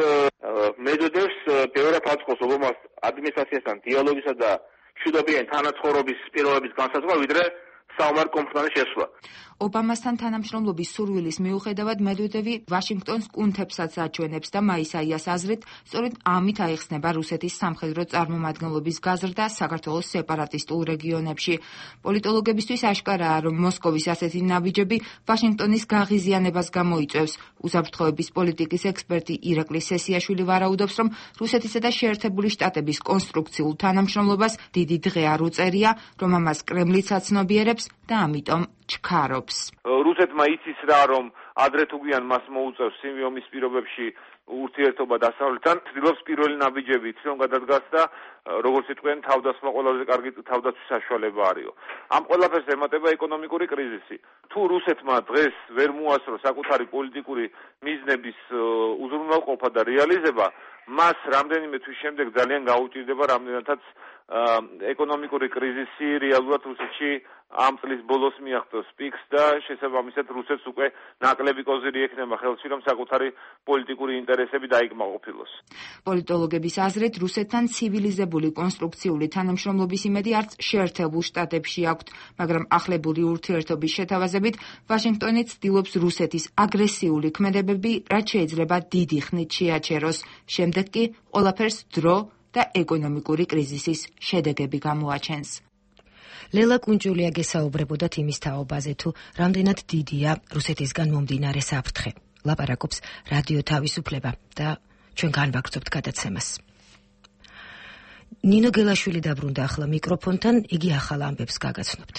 მედვედევს ბევრად აწყობს ობამას ადმინისტრაციასთან დიალოგისა და მშვიდობიანი თანაცხოვრობის პირობების განსაზღვრა, ვიდრე საომარ კონფლიქტის შესვლა. ობამასთან თანამშრომლობის სურვილის მიუხედავად მედვედევი ვაშინგტონს კუნთებსაც აჩვენებს და მაისაიას აზრით, სწორედ ამით აიხსნება რუსეთის სამხედრო წარმომადგენლობის გაზრდა საქართველოს სეპარატისტულ რეგიონებში. პოლიტოლოგებისთვის აშკარაა, რომ მოსკოვის ასეთი ნაბიჯები ვაშინგტონის გაღიზიანებას გამოიწვევს. უსაფრთხოების პოლიტიკის ექსპერტი ირაკლი სესიაშვილი ვარაუდობს, რომ რუსეთისა და შეერთებული შტატების კონსტრუქციულ თანამშრომლობას დიდი დღე არ უწერია, რომ ამას კრემლიც აცნობიერებს და ამიტომ ჩქარობს. რუსეთმა იცის რა, რომ ადრე თუ გვიან მას მოუწევს ომის პირობებში ურთიერთობა დასავლეთთან, ცდილობს პირველი ნაბიჯები თვითონ გადადგას და როგორც იტყვიან, თავდასხმა ყველაზე კარგი თავდაცვის საშუალება არისო. ამ ყველაფერს ემატება ეკონომიკური კრიზისი. თუ რუსეთმა დღეს ვერ მოასწრო საკუთარი პოლიტიკური მიზნების უზრუნველყოფა და რეალიზება, მას რამდენიმე თვის შემდეგ ძალიან გაუჭირდება რამდენადაც ეკონომიკური კრიზისი რეალურად რუსეთში ამ წლის ბოლოს მიაღწევს პიკს და შესაბამისად რუსეთს უკვე ნაკლები კოზირი ექნება ხელში, რომ საკუთარი პოლიტიკური ინტერესები დაიკმაყოფილოს. პოლიტოლოგების აზრით, რუსეთთან ცივილიზებული კონსტრუქციული თანამშრომლობის იმედი არც შეერთებულ შტატებში აქვთ, მაგრამ ახლებური ურთიერთობის შეთავაზებით ვაშინგტონი ცდილობს რუსეთის აგრესიული ქმედებები, რაც შეიძლება დიდი ხნით შეაჩეროს. შემდეგ კი ყველაფერს დრო და ეკონომიკური კრიზისის შედეგები გამოაჩენს. ლელა კუნჯულია გესაუბრებოდათ იმის თაობაზე, თუ რამდენად დიდია რუსეთისგან მომდინარე საფრთხე. ლაპარაკობს რადიო თავისუფლება და ჩვენ განვაგრძობთ გადაცემას. ნინო გელაშვილი დაბრუნდა ახლა მიკროფონთან, იგი ახალ ამბებს გაგაცნობთ.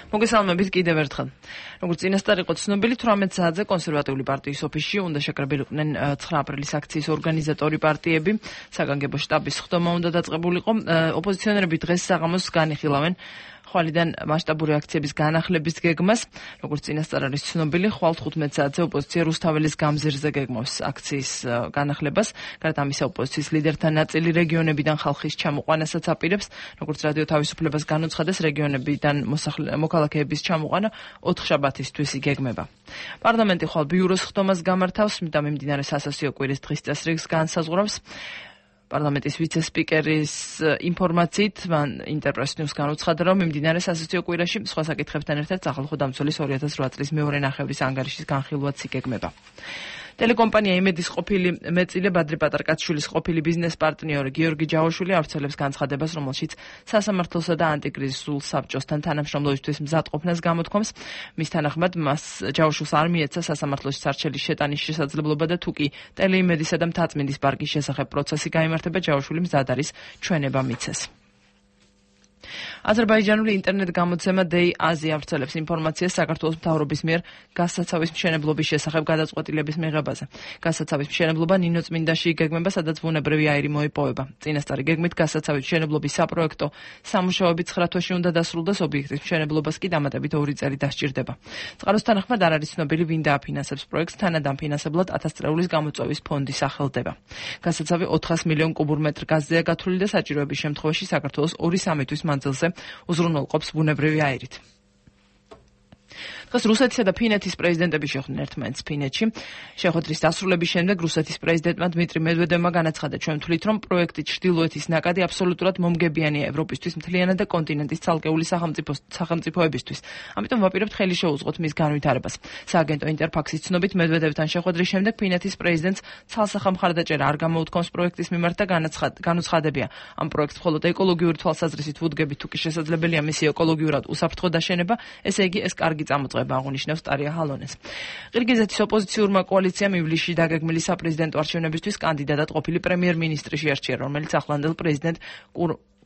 მოგესალმებით კიდევ ერთხელ. როგორც წინასწარ იყო ცნობილი, 18 საათზე კონსერვატიული პარტიის ოფისში უნდა შეკრებილიყვნენ 9 აპრილის აქციის ორგანიზატორი პარტიები. საგანგებო შტაბის ხდომა უნდა დაწყებულიყო. ოპოზიციონერები დღეს საღამოს განიხილავენ ხვალიდან მასშტაბური აქციების განახლების გეგმას. როგორც წინასწარ არის ცნობილი, ხვალ 15 საათზე ოპოზიცია რუსთაველის გამზირზე გეგმავს აქციის განახლებას. გარდა ამისა, ოპოზიციის ლიდერთა ნაწილი რეგიონებიდან ხალხის ჩამოყვანასაც აპირებს. როგორც რადიო თავისუფლებას განუცხადეს, რეგიონებიდან მოქალაქეების ჩამოყვანა 4 შაბათისთვის იგეგმება. პარლამენტი ხვალ ბიუროს ხდომას გამართავს და მიმდინარე სასასიო კვირის დღის წესრიგს განსაზღვრავს. პარლამენტის ვიცე-სპიკერის ინფორმაციით მან ინტერპრეს ნიუს განუცხადა, რომ მიმდინარე სასაცილო კვირაში სხვა საკითხებთან ერთად სახალხო დამცველის 2008 წლის მეორე ნახევრის ანგარიშის განხილვაც იგეგმება. ტელეკომპანია იმედის ყოფილი მეწილე ბადრი პატარკაცშვილის ყოფილი ბიზნეს პარტნიორი გიორგი ჯავაშვილი ავრცელებს განცხადებას, რომელშიც სასამართლოსა და ანტიკრიზისულ საბჭოსთან თანამშრომლობისთვის მზადყოფნას გამოთქვამს. მის თანახმად, მას ჯავაშვილს არ მიეცა სასამართლოში სარჩელის შეტანის შესაძლებლობა და თუკი ტელეიმედისა და მთაწმინდის პარკის შესახებ პროცესი გაიმართება, ჯავაშვილი მზად არის ჩვენება მიცეს. აზერბაიჯანული ინტერნეტ გამოცემა Day Asia ავრცელებს ინფორმაციას საქართველოს მთავრობის მიერ გაზსაცავის მშენებლობის შესახებ გადაწყვეტილების მიღებაზე. გაზსაცავის მშენებლობა ნინოწმინდაში იგეგმება, სადაც ბუნებრივი აირი მოიპოვება. წინასწარი გეგმით გაზსაცავის მშენებლობის საპროექტო სამუშაოები 9 თვეში უნდა დასრულდეს, ობიექტის მშენებლობას კი დამატებით 2 წელი დასჭირდება. წყაროს თანახმად არ არის ცნობილი, ვინ დააფინანსებს პროექტს, თანადამფინანსებლად 1000 წრეულის გამოწვევის ფონდი სახელდება. გაზსაცავი 400 მილიონ კუბურ მეტრ გაზზეა გათვლილი და საჭიროების შემთხვევაში საქართველოს 2-3 თვის მანძილზე უზრუნველყოფს ბუნებრივი აირით. დღეს რუსეთისა და ფინეთის პრეზიდენტები შეხვდნენ ერთმანეთს ფინეთში. შეხვედრის დასრულების შემდეგ რუსეთის პრეზიდენტმა დმიტრი მედვედევმა განაცხადა, ჩვენ ვთვლით, რომ პროექტი ჩრდილოეთის ნაკადი აბსოლუტურად მომგებიანია ევროპისთვის, მთლიანად და კონტინენტის ცალკეული სახელმწიფოებისთვის. ამიტომ ვაპირებთ ხელი შეუწყოთ მის განვითარებას. სააგენტო ინტერფაქსის ცნობით, მედვედევთან შეხვედრის შემდეგ ფინეთის პრეზიდენტს ცალსახა მხარდაჭერა არ გამოუთქვამს პროექტის მიმართ და განუცხადებია, ამ პროექტს მხოლოდ ეკოლოგიური თვალსაზრისით ვუდგებით, თუ კი შესაძლებელია მისი ეკოლოგიურად უსაფრთხო დაშენება, ესე იგი ეს კარგი წამოწყება აღნიშნავს ტარია ჰალონეს. ყირგიზეთის ოპოზიციურმა კოალიციამ ივლისში დაგეგმილი საპრეზიდენტო არჩევნებისთვის კანდიდატად ყოფილი პრემიერ-მინისტრი შეარჩია, რომელიც ახლანდელ პრეზიდენტ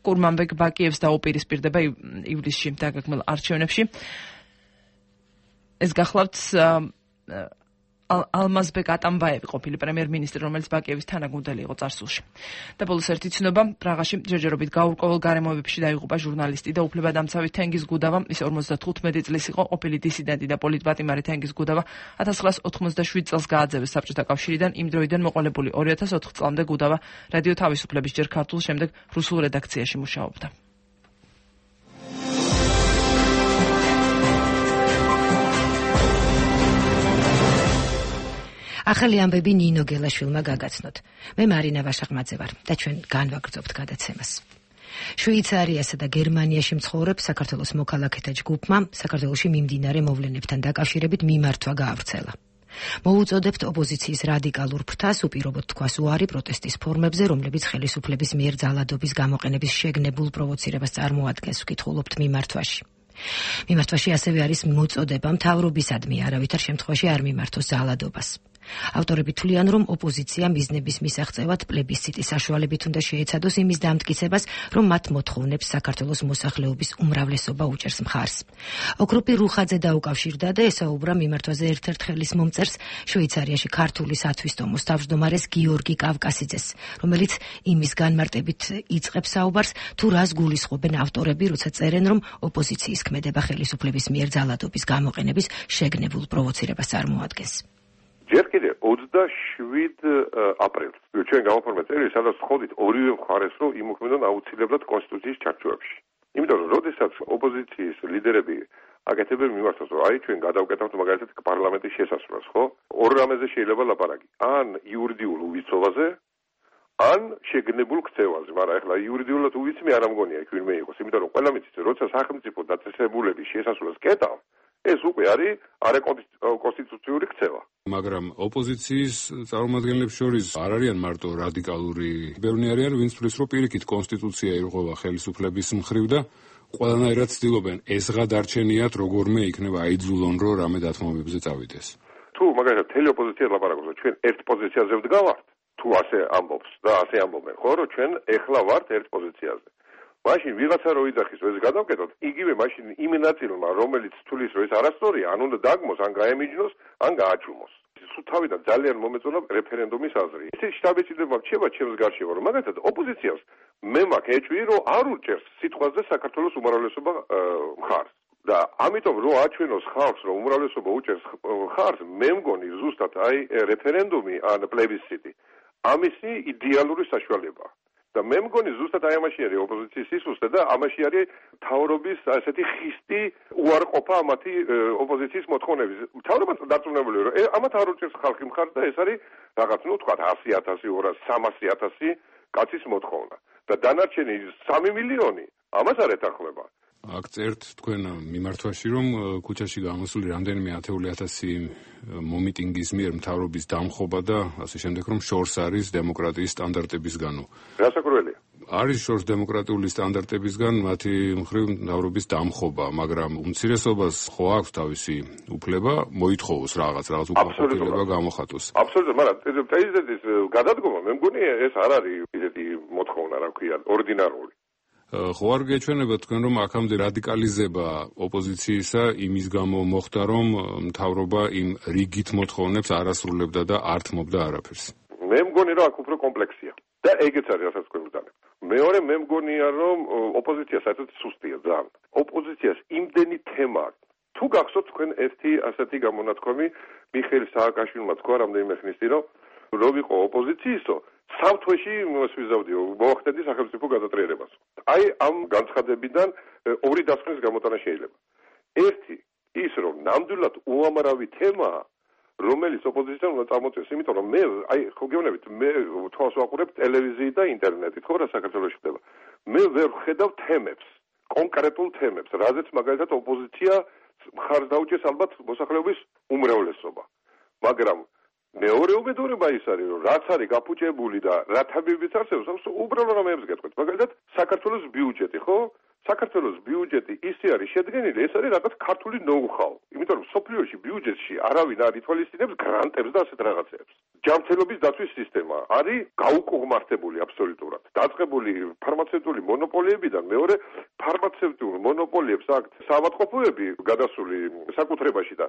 კურმანბეკ ბაკიევს დაუპირისპირდება ივლისში დაგეგმილ არჩევნებში. ეს გახლავთ ალმაზბეკ ატამბაევი ყოფილი პრემიერ-მინისტრი, რომელიც ბაკიევის თანაგუნდელი იყო წარსულში. და ბოლოს ერთი ცნობა, პრაღაში ჯერჯერობით გაურკვეველ გარემოებებში დაიღუპა ჟურნალისტი და უფლებადამცავი თენგიზ გუდავა. ის 55 წლის იყო, ყოფილი დისიდენტი და პოლიტპატიმარი თენგიზ გუდავა 1987 წელს გააძევეს საბჭოთა კავშირიდან. იმ დროიდან მოყოლებული 2004 წლამდე გუდავა რადიო თავისუფლების ჯერ ქართულ, შემდეგ რუსულ რედაქციაში მუშაობდა. ახალი ამბები ნინო გელაშვილმა გაგაცნოთ. მე მარინა ვაშაღმაძე ვარ და ჩვენ განვაგრძობთ გადაცემას. შვეიცარიასა და გერმანიაში მცხოვრებ საქართველოს მოქალაქეთა ჯგუფმა საქართველოში მიმდინარე მოვლენებთან დაკავშირებით მიმართვა გაავრცელა. მოუწოდებთ ოპოზიციის რადიკალურ ფრთას უპირობოდ თქვას უარი პროტესტის ფორმებზე, რომლებიც ხელისუფლების მიერ ძალადობის გამოყენების შეგნებულ პროვოცირებას წარმოადგენს, ვკითხულობთ მიმართვაში. მიმართვაში ასევე არის მოწოდება მთავრობისადმი არავითარ შემთხვევაში არ მიმართოს ძალადობას. ავტორები თვლიან, რომ ოპოზიცია მიზნების მისაღწევად პლებისციტის საშუალებით უნდა შეეცადოს იმის დამტკიცებას, რომ მათ მოთხოვნებს საქართველოს მოსახლეობის უმრავლესობა უჭერს მხარს. ოქროპი რუხაძე დაუკავშირდა და ესაუბრა მიმართვაზე ერთ-ერთ ხელის მომწერს, შვეიცარიაში ქართული სათვისტომოს თავმჯდომარეს გიორგი კავკასიძეს, რომელიც იმის განმარტებით იწყებს საუბარს, თუ რას გულისხმობენ ავტორები, როცა წერენ, რომ ოპოზიციის ქმედება ხელისუფლების მიერ ძალადობის გამოყენების შეგნებულ პროვოცირებას წარმოადგენს. ჯერ კიდევ 27 აპრილს ჩვენ გავაფორმე წერილი, სადაც ვთხოვდით ორივე მხარეს, რომ იმოქმედონ აუცილებლად კონსტიტუციის ჩარჩოებში. იმიტომ რომ როდესაც ოპოზიციის ლიდერები აკეთებენ მიმართავს, რომ აი ჩვენ გადავკეთებთ მაგალითად პარლამენტის შესასვლელს, ხო? ორ რამეზე შეიძლება ლაპარაკი. ან იურიდიულ უვიცხოვაზე, ან შეგნებულ ქცევაზე, მაგრამ ეხლა იურიდიულად უვიცმი არ ამგონია იქ ვინმე იყოს, იმიტომ რომ ყველა მიცის, როცა სახელმწიფო დაწესებულების შესასვლელს კეტავ, ეს უკვე არის არაკონსტიტუციური ქცევა. მაგრამ ოპოზიციის წარმომადგენლებს შორის არ არიან მარტო რადიკალური, ბევრი არიან, ვინც თვლის, რომ პირიქით კონსტიტუცია ირღვევა ხელისუფლების მხრივ და ყველანაირად ცდილობენ ეს გადარჩენიათ, როგორმე იქნება აიძულონ, რომ რამე დათმობებზე წავიდეს. თუ მაგალითად თელი ოპოზიცია ლაპარაკობს, რომ ჩვენ ერთ პოზიციაზე ვდგავართ, თუ ასე ამბობს და ასე ამბობენ, ხო, რომ ჩვენ ეხლა ვართ ერთ პოზიციაზე. მაშინ ვიღაცა რო იძახის ეს გადავკეთოთ, იგივე მაშინ იმ ნაწილმა, რომელიც თulis რომ ეს არასწორია, ან უნდა დაგმოს, ან გაემიჯნოს, ან გააჩუმოს. თავიდან ძალიან მომეწონა რეფერენდუმის აზრი. ისეთი შთაბეჭდილება რჩება ჩემს გარშემო, რომ მაგალითად ოპოზიციას მე მაქვს ეჭვი, რომ არ უჭერს სიტყვაზე საქართველოს უმრავლესობა მხარს. და ამიტომ რო აჩვენოს ხალხს, რომ უმრავლესობა უჭერს მხარს, მე მგონი ზუსტად აი რეფერენდუმი ან პლებისციტი ამისი იდეალური საშუალებაა. და მე მგონი ზუსტად აი ამაში არის ოპოზიციის სისუსტე და ამაში არის მთავრობის ასეთი ხისტი უარყოფა ამათი ოპოზიციის მოთხოვნების. მთავრობა დარწმუნებული რომ ამათ არ უჭერს ხალხი მხარს და ეს არის რაღაც ნუ თქვა 100,000, 200,000, 300,000 კაცის მოთხოვნა. და დანარჩენი 3 მილიონი ამას არ ეთანხმება. აქ წერთ თქვენ მიმართვაში, რომ ქუჩაში გამოსული რამდენიმე 10,000 მომიტინგის მიერ მთავრობის დამხობა და ასე შემდეგ, რომ შორს არის დემოკრატიის სტანდარტებისგანო. გასაკურველია. არის შორს დემოკრატიული სტანდარტებისგან მათი მხრივ მთავრობის დამხობა, მაგრამ უმცირესობას ხო აქვს თავისი უფლება მოითხოვოს რაღაც უკმაყოფილება გამოხატოს. აბსოლუტურად, მაგრამ პრეზიდენტის გადადგომა მე მგონი ეს არ არის ისეთი მოთხოვნა, რა ქვია, ორდინარული. ხო არ გეჩვენება თქვენ რომ აქამდე რადიკალიზება ოპოზიციისა იმის გამო მოხდა რომ მთავრობა იმ რიგით მოთხოვნებს არ ასრულებდა და არ თმობდა არაფერს. მე მგონი რომ აქ უფრო კომპლექსია და ეგეც არის რასაც თქვენ ვიტანებთ. მეორე მე მგონია რომ ოპოზიცია საერთოდ სუსტია ძალიან. ოპოზიციას იმდენი თემა აქვს. თუ გახსოვთ თქვენ ერთი ასეთი გამონათქვამი მიხეილ სააკაშვილმა თქვა რამდენიმე ხნის წინ რომ ვიყო ოპოზიციისო სამთვეში მოსვიზავდიო მოახდედი სახელმწიფო გადატრიალებას. აი ამ განცხადებიდან ორი დასკვნის გამოტანა შეიძლება. ერთი ის რომ ნამდვილად უამრავი თემაა რომელიც ოპოზიციამ უნდა წამოწეს, იმიტომ რომ მე აი ხო გეუბნებით მე თვალს ვაყურებ ტელევიზიით და ინტერნეტით, ხო რა საქართველოში ხდება. მე ვერ ვხედავ თემებს, კონკრეტულ თემებს, რაზეც მაგალითად ოპოზიცია მხარს დაუჭერს ალბათ მოსახლეობის უმრავლესობა. მაგრამ მეორე უბედურება ის არის, რომ რაც არის გაფუჭებული და რა თებებიც არსებობს, უბრალოდ რამეებს გეტყვით. მაგალითად, საქართველოს ბიუჯეტი, ხო? საქართველოს ბიუჯეტი ისე არის შედგენილი, ეს არის რაღაც ქართული ნოუ-ჰაუ. იმიტომ რომ სოფლიოში ბიუჯეტში არავინ არ ითვალისწინებს გრანტებს და ასეთ რაღაცებს. ჯანმრთელობის დაცვის სისტემა არის გაუკუღმართებული აბსოლუტურად. დაწყებული ფარმაცევტული მონოპოლიებიდან მეორე ფარმაცევტულ მონოპოლიებს აქვთ საავადმყოფოები გადასული საკუთრებაში და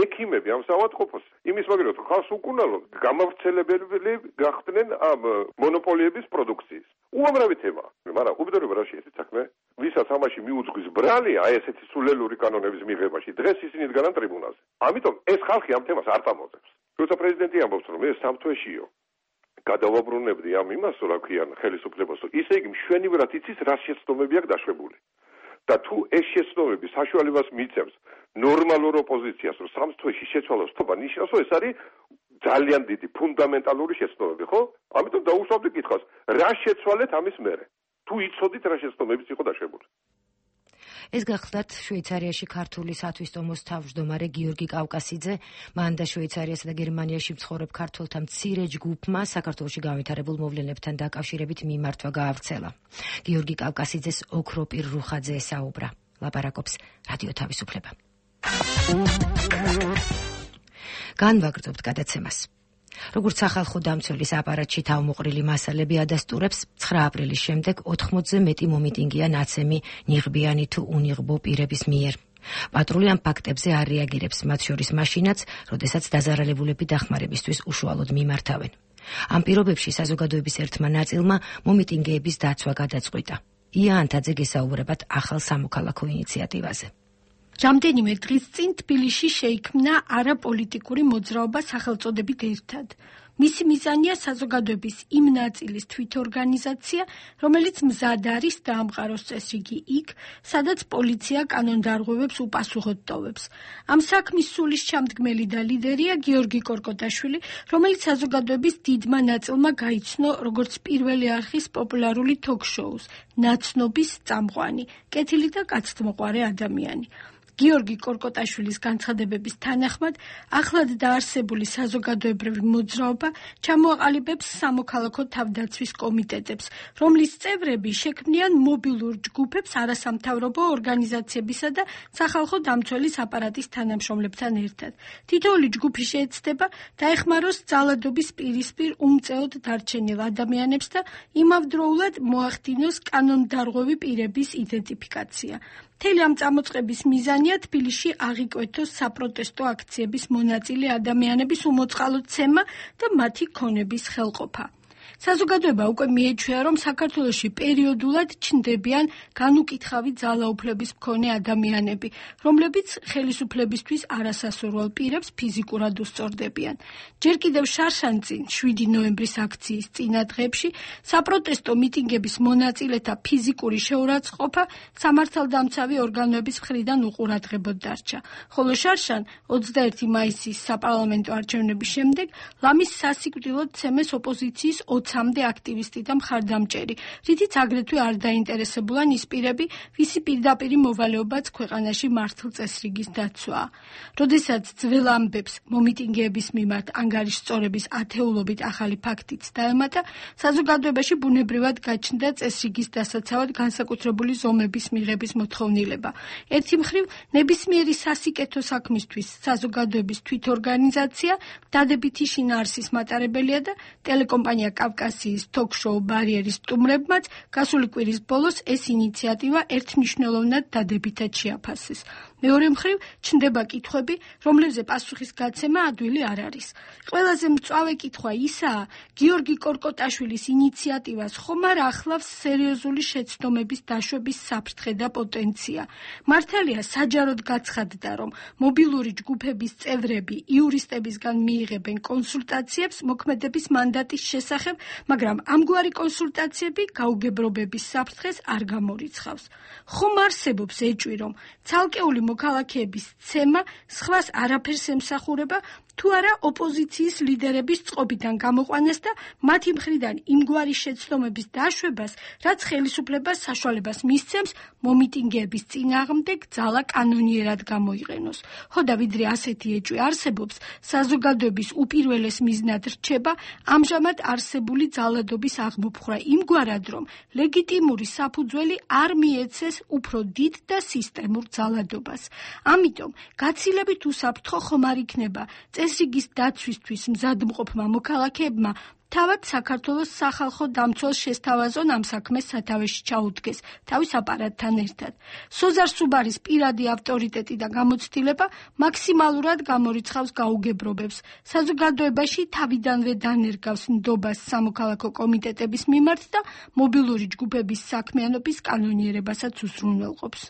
ექიმები ამ საავადმყოფოს იმის მაგალითად ხალხს უკუნალო გამავრცელებელი გახდნენ ამ მონოპოლიების პროდუქციის. უამრავი თემაა. მაგრამ უბედურება რა შეიძლება საქმე? ვისაც ამაში მიუძღვის ბრალი, აი ესეთი სულელური კანონების მიღებაში, დღეს ისინი დგანან ტრიბუნალზე. ამიტომ ეს ხალხი ამ თემას არ წამოწევს. როცა პრეზიდენტი ამბობს, რომ ეს სამთვეშიო გადავაბრუნებდი ამ იმას, რა ქვიან, ხელისუფლებას, ისე იგი მშვენივრად იცის, რა შეცდომები აქვს დაშვებული. და თუ ეს შეცდომები საშუალებას მიწევს ნორმალურ ოპოზიციას, რომ სამთვეში შეცვალოს თობა, ნიშნავს, რომ ეს არის ძალიან დიდი ფუნდამენტალური შეცდომები, ხო? ამიტომ დაუშვავდი კითხვას, რა შეცვალეთ ამის მერე? თუ იცოდით რა შეცდომებიც იყო დაშვებული. ეს გახლდათ შვეიცარიაში ქართული სათვისტომოს თავმჯდომარე გიორგი კავკასიძე, მან და შვეიცარიასა და გერმანიაში მცხოვრებ ქართველთა მცირე ჯგუფმა საქართველოში განვითარებულ მოვლენებთან დაკავშირებით მიმართვა გაავრცელა. გიორგი კავკასიძეს ოქროპირ რუხაძე ესაუბრა. ლაპარაკობს რადიო თავისუფლება. განვაგრძობთ გადაცემას. როგორც სახალხო დამცველის აპარატში თავმოყრილი მასალები ადასტურებს, 9 აპრილის შემდეგ 80-ზე მეტი მომიტინგია ნაცემი, ნიღბიანი თუ უნიღბო პირების მიერ. პატრული ამ ფაქტებზე არ რეაგირებს, მათ შორის მაშინაც, როდესაც დაზარალებულები დახმარებისთვის უშუალოდ მიმართავენ. ამ პირობებში საზოგადოების ერთმა ნაწილმა მომიტინგეების დაცვა გადაწყვიტა. ია ანთაძე გესაუბრებათ ახალ სამოქალაქო ინიციატივაზე. რამდენიმე დღის წინ თბილისში შეიქმნა არაპოლიტიკური მოძრაობა სახელწოდებით ერთად. მისი მიზანია საზოგადოების იმ ნაწილის თვითორგანიზაცია, რომელიც მზად არის დაამყაროს წესრიგი იქ, სადაც პოლიცია კანონდარღვევებს უპასუხოდ ტოვებს. ამ საქმის სულის ჩამდგმელი და ლიდერია გიორგი კორკოტაშვილი, რომელიც საზოგადოების დიდმა ნაწილმა გაიცნო როგორც პირველი არხის პოპულარული თოქ-შოუს, ნაცნობის წამყვანი, კეთილი და კაცთმოყვარე ადამიანი. გიორგი კორკოტაშვილის განცხადებების თანახმად, ახლად დაარსებული საზოგადოებრივი მოძრაობა ჩამოაყალიბებს სამოქალაქო თავდაცვის კომიტეტებს, რომლის წევრები შექმნიან მობილურ ჯგუფებს არასამთავრობო ორგანიზაციებისა და სახალხო დამცველის აპარატის თანამშრომლებთან ერთად. თითოეული ჯგუფი შეეცდება დაეხმაროს ძალადობის პირისპირ უმწეოდ დარჩენილ ადამიანებს და იმავდროულად მოახდინოს კანონდარღვევი პირების იდენტიფიკაცია. მთელი ამ წამოწყების მიზანია თბილისში აღიკვეთოს საპროტესტო აქციების მონაწილე ადამიანების უმოწყალო ცემა და მათი ქონების ხელყოფა. საზოგადოება უკვე მიეჩვია, რომ საქართველოში პერიოდულად ჩნდებიან განუკითხავი ძალაუფლების მქონე ადამიანები, რომლებიც ხელისუფლებისთვის არასასურველ პირებს ფიზიკურად უსწორდებიან. ჯერ კიდევ შარშანწინ 7 ნოემბრის აქციის წინა დღეებში საპროტესტო მიტინგების მონაწილეთა ფიზიკური შეურაცხყოფა სამართალდამცავი ორგანოების მხრიდან უყურადღებოდ დარჩა, ხოლო შარშან 21 მაისის საპარლამენტო არჩევნების შემდეგ ლამის სასიკვდილოდ ცემეს ოპოზიციის 20-მდე აქტივისტი და მხარდამჭერი, რითიც აგრეთვე არ დაინტერესებულან ის პირები, ვისი პირდაპირი მოვალეობაც ქვეყანაში მართლ წესრიგის დაცვაა. როდესაც ძველ ამბებს მომიტინგეების მიმართ ანგარიშსწორების ათეულობით ახალი ფაქტიც დაემატა, საზოგადოებაში ბუნებრივად გაჩნდა წესრიგის დასაცავად განსაკუთრებული ზომების მიღების მოთხოვნილება. ერთი მხრივ, ნებისმიერი სასიკეთო საქმისთვის საზოგადოების თვითორგანიზაცია დადებითი შინაარსის მატარებელია და ტელეკომპანია კავკასიის თოქ-შოუ ბარიერის სტუმრებმაც გასული კვირის ბოლოს ეს ინიციატივა ერთმნიშვნელოვნად დადებითად შეაფასეს. მეორე მხრივ, ჩნდება კითხვები, რომლებზე პასუხის გაცემა ადვილი არ არის. ყველაზე მწვავე კითხვა ისაა, გიორგი კორკოტაშვილის ინიციატივას ხომ არ ახლავს სერიოზული შეცდომების დაშვების საფრთხე და პოტენცია. მართალია საჯაროდ გაცხადდა, რომ მობილური ჯგუფების წევრები იურისტებისგან მიიღებენ კონსულტაციებს მოქმედების მანდატის შესახებ, მაგრამ ამგვარი კონსულტაციები გაუგებრობების საფრთხეს არ გამორიცხავს. ხომ არსებობს ეჭვი, რომ ცალკეული მოქალაქეების ცემა სხვას არაფერს ემსახურება, თუ არა ოპოზიციის ლიდერების წყობიდან გამოყვანას და მათი მხრიდან იმგვარი შეცდომების დაშვებას, რაც ხელისუფლებას საშუალებას მისცემს მომიტინგეების წინააღმდეგ ძალა კანონიერად გამოიყენოს. ხო და ვიდრე ასეთი ეჭვი არსებობს, საზოგადოების უპირველეს მიზნად რჩება ამჟამად არსებული ძალადობის აღმოფხვრა იმგვარად, რომ ლეგიტიმური საფუძველი არ მიეცეს უფრო დიდ და სისტემურ ძალადობას. ამიტომ გაცილებით უსაფრთხო ხომ არ იქნება წესრიგის დაცვისთვის მზადმყოფმა მოქალაქეებმა თავად საქართველოს სახალხო დამცველს შესთავაზონ ამ საქმეს სათავეში ჩაუდგეს თავის აპარატთან ერთად. სოზარ სუბარის პირადი ავტორიტეტი და გამოცდილება მაქსიმალურად გამორიცხავს გაუგებრობებს. საზოგადოებაში თავიდანვე დანერგავს ნდობას სამოქალაქო კომიტეტების მიმართ და მობილური ჯგუფების საქმიანობის კანონიერებასაც უზრუნველყოფს.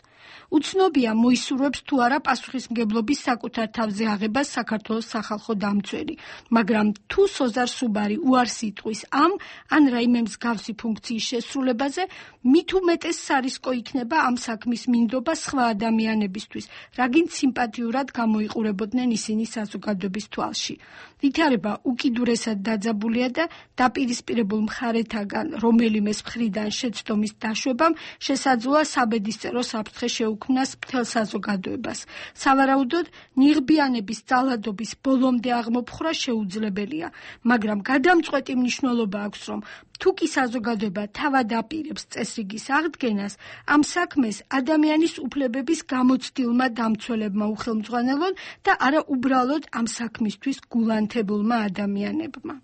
უცნობია მოისურვებს თუ არა პასუხისმგებლობის საკუთარ თავზე აღებას საქართველოს სახალხო დამცველი, მაგრამ თუ სოზარ სუბარი უარს იტყვის ამ ან რაიმე მსგავსი ფუნქციის შესრულებაზე, მით უმეტეს სარისკო იქნება ამ საქმის მინდობა სხვა ადამიანებისთვის, რაგინც სიმპათიურად გამოიყურებოდნენ ისინი საზოგადოების თვალში. ვითარება უკიდურესად დაძაბულია და დაპირისპირებულ მხარეთაგან რომელიმეს მხრიდან შეცდომის დაშვებამ შესაძლოა საბედისწერო საფრთხე შეუქმნას მთელ საზოგადოებას. სავარაუდოდ, ნიღბიანების ძალადობის ბოლომდე აღმოფხვრა შეუძლებელია, მაგრამ გადამწყვეტი მნიშვნელობა აქვს, რომ თუ კი საზოგადოება თავად აპირებს წესრიგის აღდგენას, ამ საქმეს ადამიანის უფლებების გამოცდილმა დამცველებმა უხელმძღვანელონ და არა უბრალოდ ამ საქმისთვის გულანთებულმა ადამიანებმა.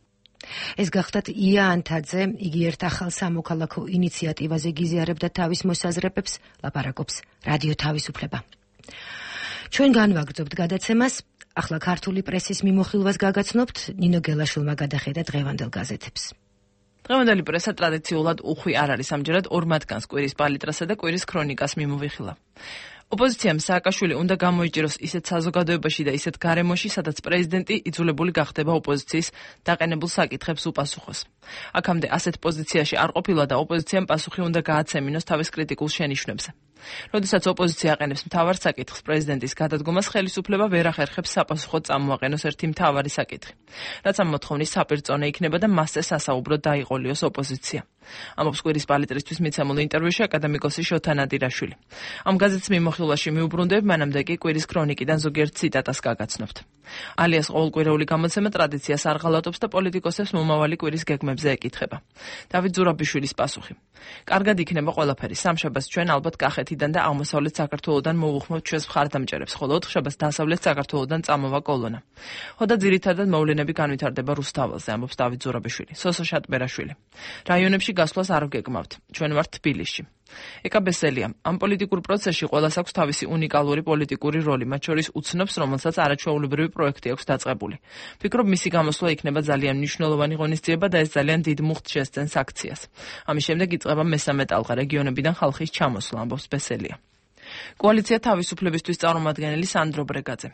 ეს გახდათ ია ანთაძე, იგი ერთ ახალ სამოქალაქო ინიციატივაზე გიზიარებდა თავის მოსაზრებებს, ლაპარაკობს რადიო თავისუფლება. ჩვენ განვაგრძობთ გადაცემას, ახლა ქართული პრესის მიმოხილვას გაგაცნობთ, ნინო გელაშვილმა გადახედა დღევანდელ გაზეთებს. დღევანდელი პრესა ტრადიციულად უხვი არ არის, ამჯერად ორ მათგანს კვირის პალიტრასა და კვირის ქრონიკას მიმოვიხილა. ოპოზიციამ სააკაშვილი უნდა გამოიჭიროს ისეთ საზოგადოებაში და ისეთ გარემოში, სადაც პრეზიდენტი იძულებული გახდება ოპოზიციის დაყენებულ საკითხებს უპასუხოს. აქამდე ასეთ პოზიციაში არ ყოფილა და ოპოზიციამ პასუხი უნდა გააცემინოს თავის კრიტიკულ შენიშვნებზე. როდესაც ოპოზიცია აყენებს მთავარ საკითხს პრეზიდენტის გადადგომას, ხელისუფლება ვერ ახერხებს საპასუხოდ წამოაყენოს ერთი მთავარი საკითხი, რაც ამ მოთხოვნის საპირწონე იქნება და მასზე სასაუბროდ დაიყოლიოს ოპოზიცია. ამბობს კვირის პალიტრისთვის მიცემულ ინტერვიუში აკადემიკოსი შოთა ნადირაშვილი. ამ გაზეთის მიმოხილვაში მიუბრუნდებით, მანამდე კი კვირის ქრონიკიდან ზოგიერთ ციტატას გაგაცნობთ. ალიას ყოველკვირეული გამოცემა ტრადიციას არ ღალატობს და პოლიტიკოსებს მომავალი კვირის გეგმებზე ეკითხება. დავით ზურაბიშვილის პასუხი. კარგად იქნება ყველაფერი. სამშაბათს ჩვენ ალბათ კახეთიდან და აღმოსავლეთ საქართველოდან მოვუხმობთ ჩვენს მხარდამჭერებს, ხოლო ოთხშაბათს დასავლეთ საქართველოდან წამოვა კოლონა. ხოდა ძირითადად მოვლენები განვითარდება რუსთაველზე, ამბობს დავით ზურაბიშვილი. სოსო შატბერაშვილი. რაიონებში გასვლას არ გეგმავთ. ჩვენ ვართ თბილისში. ეკა ბესელია. ამ პოლიტიკურ პროცესში ყველას აქვს თავისი უნიკალური პოლიტიკური როლი, მათ შორის უცნობს, რომელსაც არაჩვეულებრივი პროექტი აქვს დაწყებული. ფიქრობ, მისი გამოსვლა იქნება ძალიან მნიშვნელოვანი ღონისძიება და ეს ძალიან დიდ მუხტს შესძენს აქციას. ამის შემდეგ იწყება მესამე ტალღა რეგიონებიდან ხალხის ჩამოსვლა, ამბობს ბესელია. კოალიცია თავისუფლებისთვის წარმომადგენელი სანდრო ბრეგაძე.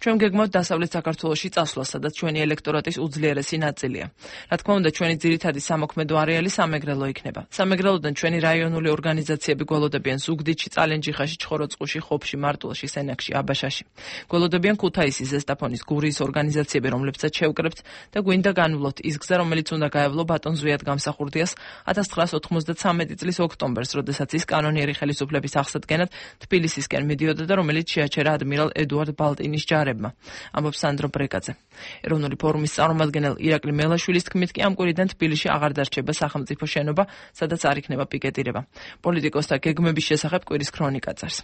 ჩვენ გეგმავთ დასავლეთ საქართველოში წასვლა, სადაც ჩვენი ელექტორატის უძლიერესი ნაწილია. რა თქმა უნდა, ჩვენი ძირითადი სამოქმედო არეალი სამეგრელო იქნება. სამეგრელოდან ჩვენი რაიონული ორგანიზაციები გველოდებიან ზუგდიდში, წალენჯიხაში, ჩხოროწყუში, ხობში, მარტვილში, სენაკში, აბაშაში. გველოდებიან ქუთაისის, ზესტაფონის, გურიის ორგანიზაციები, რომლებსაც შევკრებთ და გვინდა განვლოთ ის გზა, რომელიც უნდა გაევლო ბატონ ზვიად გამსახურდიას 1993 წლის ოქტომბერს, როდესაც ის კანონიერი ხელისუფლების აღსადგენად თბილისისკენ მიდიოდა და რომელიც შეაჩერა ადმირალ ედუარდ ბალტინის ჯარებმა, ამბობს სანდრო ბრეგაძე. ეროვნული ფორუმის წარმომადგენელ ირაკლი მელაშვილის თქმით კი ამ კვირიდან თბილისში აღარ დარჩება სახელმწიფო შენობა, სადაც არ იქნება პიკეტირება. პოლიტიკოსთა გეგმების შესახებ კვირის ქრონიკა წერს.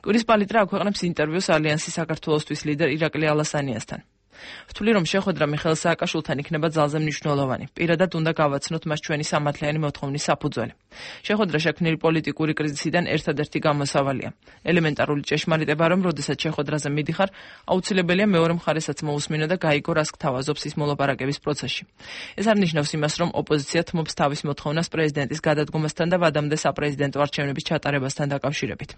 კვირის პალიტრა აქვეყნებს ინტერვიუს ალიანსის საქართველოსთვის ლიდერ ირაკლი ალასანიასთან. ვთვლი, რომ შეხვედრა მიხეილ სააკაშვილთან იქნება ძალზე მნიშვნელოვანი. პირადად უნდა გავაცნოთ მას ჩვენი სამართლიანი მოთხოვნის საფუძველი. შეხვედრა შექმნილი პოლიტიკური კრიზისიდან ერთადერთი გამოსავალია. ელემენტარული ჭეშმარიტება, რომ როდესაც შეხვედრაზე მიდიხარ, აუცილებელია მეორე მხარესაც მოусმინო და გაიგო, რას გთავაზობს ის მოლაპარაკების პროცესში. ეს არ ნიშნავს იმას, რომ ოპოზიცია თმობს თავის მოთხოვნას პრეზიდენტის გადადგომასთან და ვადამდე საპრეზიდენტო არჩევნების ჩატარებასთან დაკავშირებით.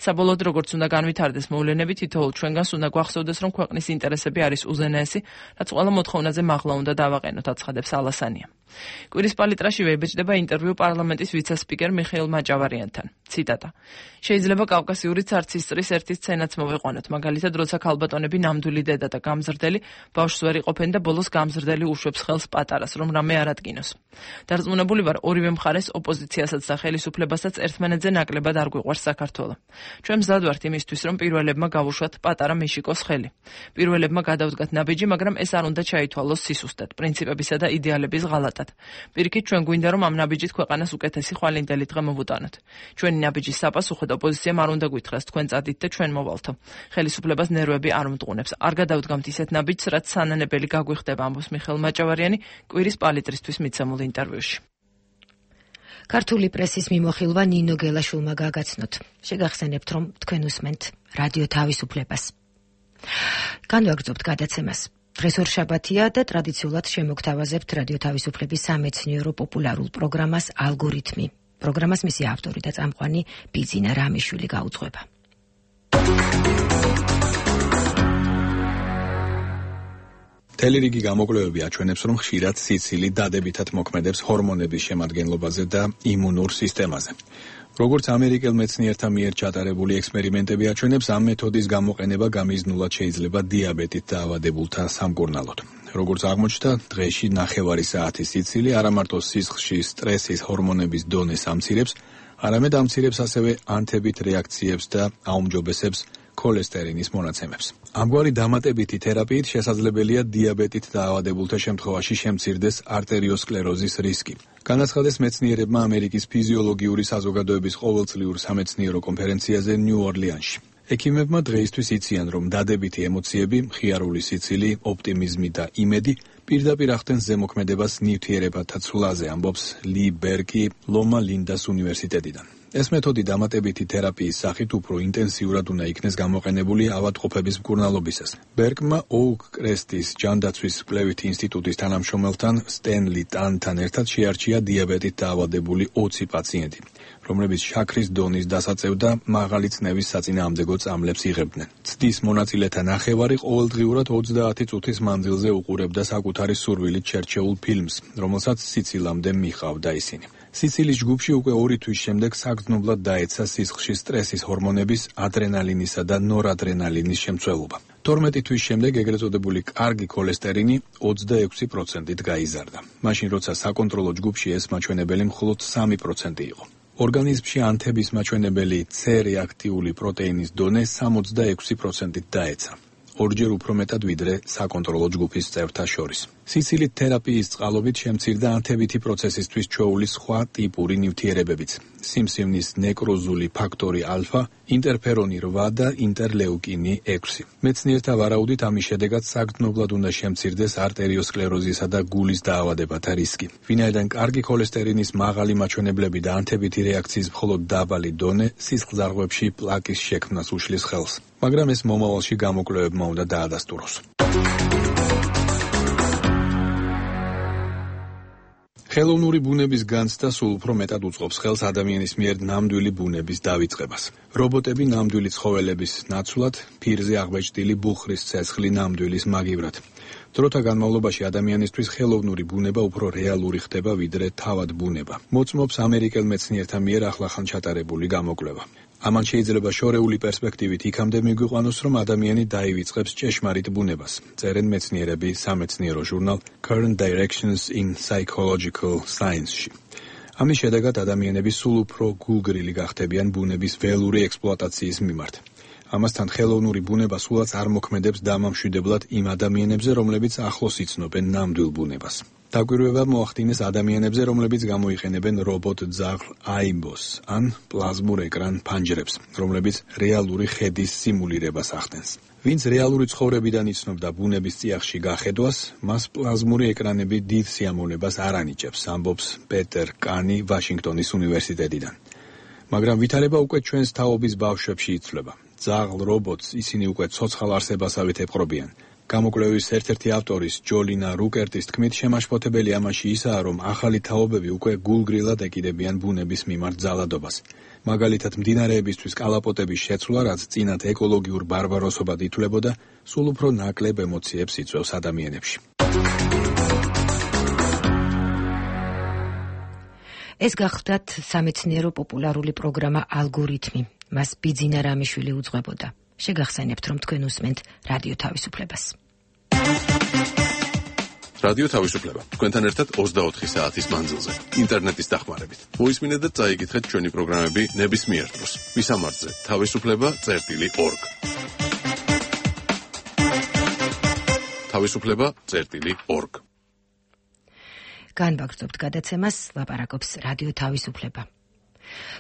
საბოლოოდ, როგორც უნდა განვითარდეს მოვლენები, თითოეულ ჩვენგანს უნდა გვახსოვდეს, რომ ქვეყნის ინტერესები არის უზენაესი, რაც ყველა მოთხოვნაზე მაღლა უნდა დავაყენოთ, აცხადებს ალასანია. კვირის პალიტრაში ვებეჭდება ინტერვიუ პარლამენტის ვიცე-სპიკერ მიხეილ მაჭავარიანთან. ციტატა. შეიძლება კავკასიური ცარცისწრის ერთი სცენაც მოვიყვანოთ, მაგალითად, როცა ქალბატონები ნამდვილი დედა და გამზრდელი ბავშვს ვერ იყოფენ და ბოლოს გამზრდელი უშვებს ხელს პატარას, რომ რამე არ ადგინოს. დარწმუნებული ვარ, ორივე მხარეს, ოპოზიციასაც და ხელისუფლებასაც ერთმანეთზე ნაკლებად არ გვიყვარს საქართველო. ჩვენ მზად ვართ იმისთვის, რომ პირველებმა გავუშვათ პატარა მიშიკოს ხელი. პირველებმა გადავდგათ ნაბიჯი, მაგრამ ეს არ უნდა ჩაითვალოს სისუსტად, პრინციპებისა და იდეალების ღალატად. პირიქით, ჩვენ გვინდა, რომ ამ ნაბიჯით ქვეყანას უკეთესი ხვალინდელი დღე მოვუტანოთ. ჩვენი ნაბიჯის საპასუხოდ ოპოზიციამ არ უნდა გვითხრას, თქვენ წადით და ჩვენ მოვალთო. ხელისუფლებას ნერვები არ მტყუნებს. არ გადავდგამთ ისეთ ნაბიჯს, რაც სანანებელი გაგვიხდება, ამბობს მიხეილ მაჭავარიანი კვირის პალიტრისთვის მიცემულ ინტერვიუში. ქართული პრესის მიმოხილვა ნინო გელაშვილმა გაგაცნოთ. შეგახსენებთ, რომ თქვენ უსმენთ რადიო თავისუფლებას. განვაგრძობთ გადაცემას. დღეს ორშაბათია და ტრადიციულად შემოგთავაზებთ რადიო თავისუფლების სამეცნიერო პოპულარულ პროგრამას ალგორითმი. პროგრამას მისი ავტორი და წამყვანი ბიძინა რამიშვილი გაუძღვება. თელირიგი გამოკვლევები აჩვენებს, რომ ხშირად სიცილი დადებითად მოქმედებს ჰორმონების შემადგენლობაზე და იმუნურ სისტემაზე. როგორც ამერიკელ მეცნიერთა მიერ ჩატარებული ექსპერიმენტები აჩვენებს, ამ მეთოდის გამოყენება გამიზნულად შეიძლება დიაბეტით დაავადებულთა სამკურნალოდ. როგორც აღმოჩნდა, დღეში 9 საათის სიცილი არა მარტო სისხლში სტრესის ჰორმონების დონეს ამცირებს, არამედ ამცირებს ასევე ანთებით რეაქციებს და აუმჯობესებს ქოლესტერინის მონაცემებს. ამგვარი დამატებითი თერაპიით შესაძლებელია დიაბეტით დაავადებულთა შემთხვევაში შემცირდეს არტერიოსკლეროზის რისკი. განაცხადეს მეცნიერებმა ამერიკის ფიზიოლოგიური საზოგადოების ყოველწლიურ სამეცნიერო კონფერენციაზე ნიუ-ორლიანში. ექიმებმა დღეისთვის იციან, რომ დადებითი ემოციები, მხიარული სიცილი, ოპტიმიზმი და იმედი პირდაპირ ახდენს ზემოქმედებას ნივთიერებათა ცვლაზე, ამბობს ლი ბერკი ლომა ლინდას უნივერსიტეტიდან. ეს მეთოდი დამატებითი თერაპიის სახით უფრო ინტენსიურად უნდა იქნეს გამოყენებული ავადმყოფების მკურნალობისას. ბერკმა ოუკ კრესტის ჯანდაცვის კვლევითი ინსტიტუტის თანამშრომელთან სტენლი ტანთან ერთად შეარჩია დიაბეტით დაავადებული 20 პაციენტი. რომლებიც შაქრის დონის დასაწევ და მაღალი წნევის საწინააღმდეგო წამლებს იღებდნენ. ცდის მონაწილეთა ნახევარი ყოველდღიურად 30 წუთის მანძილზე უყურებდა საკუთარი სურვილით შერჩეულ ფილმს, რომელსაც სიცილამდე მიჰყავდა ისინი. სიცილის ჯგუფში უკვე 2 თვის შემდეგ საგრძნობლად დაეცა სისხლში სტრესის ჰორმონების ადრენალინისა და ნორადრენალინის შემცველობა. 12 თვის შემდეგ ეგრეთ წოდებული კარგი ქოლესტერინი 26%-ით გაიზარდა. მაშინ როცა საკონტროლო ჯგუფში ეს მაჩვენებელი მხოლოდ 3% იყო. ორგანიზმში ანთების მაჩვენებელი C რეაქტიული პროტეინის დონე 66%-ით დაეცა. ორჯერ უფრო მეტად ვიდრე საკონტროლო ჯგუფის წევრთა შორის. სიცილით თერაპიის წყალობით შემცირდა ანთებითი პროცესისთვის ჩვეული სხვა ტიპური ნივთიერებებიც. სიმსივნის ნეკროზული ფაქტორი ალფა, ინტერფერონი 8 და ინტერლეუკინი 6. მეცნიერთა ვარაუდით ამის შედეგად საგრძნობლად უნდა შემცირდეს არტერიოსკლეროზისა და გულის დაავადებათა რისკი. ვინაიდან კარგი ქოლესტერინის მაღალი მაჩვენებლები და ანთებითი რეაქციის მხოლოდ დაბალი დონე სისხლძარღვებში პლაკის შექმნას უშლის ხელს. მაგრამ ეს მომავალში გამოკვლევებმა უნდა დაადასტუროს. ხელოვნური ბუნების განცდა სულ უფრო მეტად უწყობს ხელს ადამიანის მიერ ნამდვილი ბუნების დავიწყებას. რობოტები ნამდვილი ცხოველების ნაცვლად, ფირზე აღბეჭდილი ბუხრის ცეცხლი ნამდვილის მაგივრად. დროთა განმავლობაში ადამიანისთვის ხელოვნური ბუნება უფრო რეალური ხდება ვიდრე თავად ბუნება. მოწმობს ამერიკელ მეცნიერთა მიერ ახლახან ჩატარებული გამოკვლევა. ამან შეიძლება შორეული პერსპექტივით იქამდე მიგვიყვანოს, რომ ადამიანი დაივიწყებს ჭეშმარიტ ბუნებას. წერენ მეცნიერები სამეცნიერო ჟურნალ Current Directions in Psychological Science-ში. ამის შედეგად ადამიანები სულ უფრო გულგრილი გახდებიან ბუნების ველური ექსპლუატაციის მიმართ. ამასთან ხელოვნური ბუნება სულაც არ მოქმედებს დამამშვიდებლად იმ ადამიანებზე, რომლებიც ახლოს იცნობენ ნამდვილ ბუნებას. დაკვირვება მოახდინეს ადამიანებზე, რომლებიც გამოიყენებენ რობოტ ძაღლ AIBO-ს ან პლაზმურ ეკრან ფანჯრებს, რომლებიც რეალური ხედის სიმულირებას ახდენს. ვინც რეალური ცხოვრებიდან იცნობდა ბუნების წიაღში გახედვას, მას პლაზმური ეკრანები დიდ სიამოვნებას არ ანიჭებს, ამბობს პეტერ კანი ვაშინგტონის უნივერსიტეტიდან. მაგრამ ვითარება უკვე ჩვენს თაობის ბავშვებში იცვლება. ძაღლ რობოტს ისინი უკვე ცოცხალ არსებასავით ეპყრობიან. გამოკვლევის ერთ-ერთი ავტორის ჯოლინა რუკერტის თქმით, შემაშფოთებელი ამაში ისაა, რომ ახალი თაობები უკვე გულგრილად ეკიდებიან ბუნების მიმართ ძალადობას. მაგალითად, მდინარეებისთვის კალაპოტების შეცვლა, რაც წინათ ეკოლოგიურ ბარბაროსობად ითვლებოდა, სულ უფრო ნაკლებ ემოციებს იწვევს ადამიანებში. ეს გახლდათ სამეცნიერო პოპულარული პროგრამა ალგორითმი. მას ბიძინა რამიშვილი უძღვებოდა. შეგახსენებთ, რომ თქვენ უსმენთ რადიო თავისუფლებას. რადიო თავისუფლება. თქვენთან ერთად 24 საათის მანძილზე, ინტერნეტის დახმარებით. მოისმინეთ და წაიკითხეთ ჩვენი პროგრამები ნებისმიერ დროს. ვისამართზე თავისუფლება.org. თავისუფლება.org. განვაგრძობთ გადაცემას, ლაპარაკობს რადიო თავისუფლება.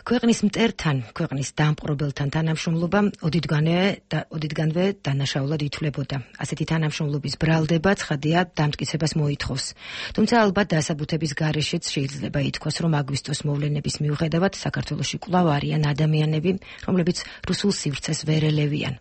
ქვეყნის მტერთან, ქვეყნის დამპყრობელთან თანამშრომლობა ოდითგანვე დანაშაულად ითვლებოდა. ასეთი თანამშრომლობის ბრალდება ცხადია დამტკიცებას მოითხოვს. თუმცა ალბათ დასაბუთების გარეშეც შეიძლება ითქვას, რომ აგვისტოს მოვლენების მიუხედავად საქართველოში კვლავ არიან ადამიანები, რომლებიც რუსულ სივრცეს ვერ ელევიან.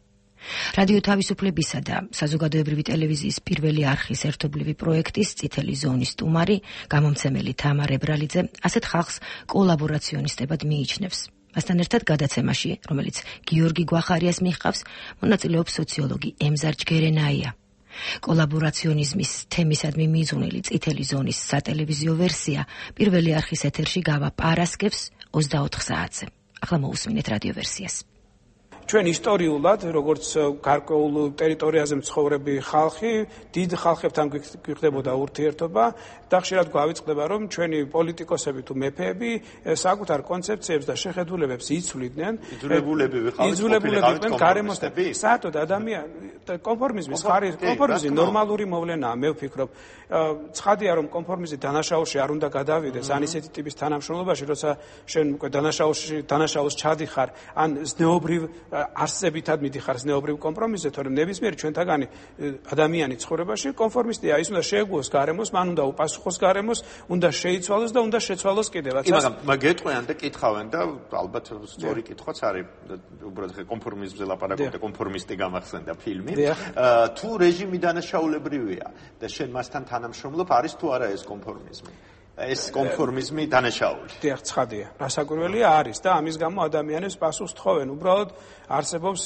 რადიო თავისუფლებისა და საზოგადოებრივი ტელევიზიის პირველი არხის ერთობლივი პროექტის წითელი ზონის სტუმარი, გამომცემელი თამარ ებრალიძე, ასეთ ხალხს კოლაბორაციონისტებად მიიჩნევს. მასთან ერთად გადაცემაში, რომელიც გიორგი გვახარიას მიჰყავს, მონაწილეობს სოციოლოგი ემზარ ჯგერენაია. კოლაბორაციონიზმის თემისადმი მიძღვნილი წითელი ზონის სატელევიზიო ვერსია პირველი არხის ეთერში გავა პარასკევს 24 საათზე. ახლა მოусმინეთ რადიო ვერსიას. ჩვენ ისტორიულად, როგორც გარკვეულ ტერიტორიაზე მცხოვრები ხალხი, დიდ ხალხებთან გვიხდებოდა ურთიერთობა და ხშირად გვავიწყდება, რომ ჩვენი პოლიტიკოსები თუ მეფეები საკუთარ კონცეფციებს და შეხედულებებს იცვლიდნენ. იძულებულებები გარემოსთან. საერთოდ კონფორმიზმის კონფორმიზმი ნორმალური მოვლენაა, მე ვფიქრობ. ცხადია, რომ კონფორმიზმი დანაშაულში არ უნდა გადავიდეს, ან ისეთი ტიპის თანამშრომლობაში, როცა შენ უკვე დანაშაულს ჩადიხარ, ან ზნეობრივ არსებითად მიდიხარ ზნეობრივ კომპრომისზე, თორემ ნებისმიერი ჩვენთაგანი ადამიანი ცხოვრებაში კონფორმისტია, ის უნდა შეეგუოს გარემოს, მან უნდა უპასუხოს გარემოს, უნდა შეიცვალოს და უნდა შეცვალოს კიდევაც. მაგრამ გეტყვიან და კითხავენ და ალბათ სწორი კითხვაც არის, უბრალოდ კონფორმიზმზე ლაპარაკობთ და კონფორმისტი გამახსენდა ფილმი. თუ რეჟიმი დანაშაულებრივია და შენ მასთან თანამშრომლობ, არის თუ არა ეს კონფორმიზმი? ეს კონფორმიზმი დანაშაული. დიახ, ცხადია. რასაკვირველია არის და ამის გამო ადამიანებს პასუხს თხოვენ. უბრალოდ არსებობს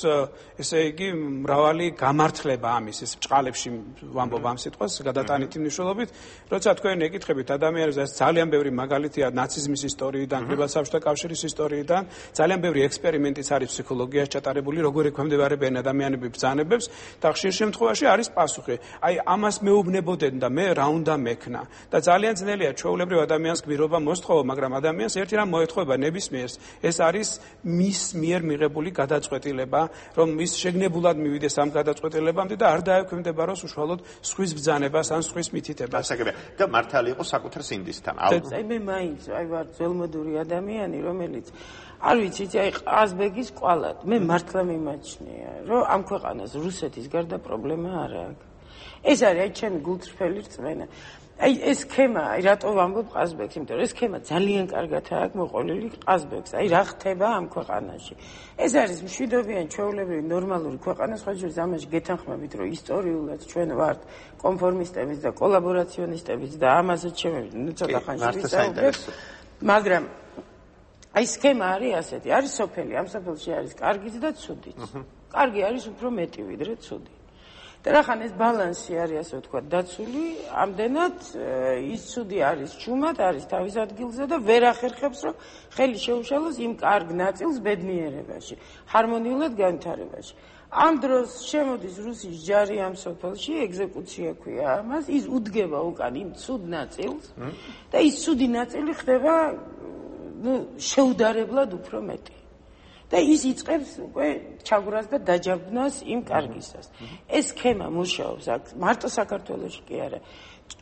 ესე იგი მრავალი გამართლება ამის ეს ბჭყალებში ვამბობ ამ სიტყვას გადატანითი მნიშვნელობით, როცა თქვენ ეკითხებით ადამიანებს, ეს ძალიან ბევრი მაგალითია ნაციზმის ისტორიიდან, პირველ საბჭოთა კავშირის ისტორიიდან, ძალიან ბევრი ექსპერიმენტიც არის ფსიქოლოგიაში ჩატარებული, როგორ ექვემდებარებიან ადამიანები ბრძანებებს და ხშირ შემთხვევაში არის პასუხი. აი ამას მეუბნებოდნენ და მე რა უნდა მექნა და ძალიან ძნელია ჩვეულებრივ ადამიანს გმირობა მოსთხოვო, მაგრამ ადამიანს ერთი რამ მოეთხოვება ნებისმიერს, ეს არის მის მიერ მიღებული გადაწყვეტილება, რომ ის შეგნებულად მივიდეს ამ გადაწყვეტილებამდე და არ დაექვემდებაროს უშუალოდ სხვის ბრძანებას ან სხვის მითითებას. გასაგებია და მართალი იყო საკუთარ სინდისთან. აი მე მაინც აი ვარ ძველმოდური ადამიანი, რომელიც არ ვიცით, აი ყაზბეგის ყვალად, მე მართლა მიმაჩნია, რომ ამ ქვეყანას რუსეთის გარდა პრობლემა არ აქვს. ეს არის აი ჩემი გულწრფელი რწმენა. აი ეს სქემა, აი რატო ვამბობ ყაზბეგს, იმიტომ რომ ეს სქემა ძალიან კარგად აქვს მოყოლილი ყაზბეგს. აი რა ხდება ამ ქვეყანაში. ეს არის მშვიდობიანი ჩვეულებრივი ნორმალური ქვეყანა, სხვა შორის ამაში გეთანხმებით, რომ ისტორიულად ჩვენ ვართ კონფორმისტებიც და კოლაბორაციონისტებიც და ამასაც ნუ ცოტა ხანში ვისაუბრებთ. მაგრამ აი სქემა არის ასეთი, არის სოფელი, ამ სოფელში არის კარგიც და ცუდიც. კარგი არის უფრო მეტი ვიდრე ცუდი. და რახან ეს ბალანსი არის ასე ვთქვათ დაცული, ამდენად ის ცუდი არის ჩუმად, არის თავის ადგილზე და ვერ ახერხებს, რომ ხელი შეუშალოს იმ კარგ ნაწილს ბედნიერებაში, ჰარმონიულად განვითარებაში. ამ დროს შემოდის რუსის ჯარი ამ სოფელში, ეგზეკუცია ქვია ამას, ის უდგება უკან იმ ცუდ ნაწილს და ის ცუდი ნაწილი ხდება შეუდარებლად უფრო მეტი. და ის იწყებს უკვე ჩაგვრას და დაჯაბნას იმ კარგისას. ეს სქემა მუშაობს აქ მარტო საქართველოში კი არა.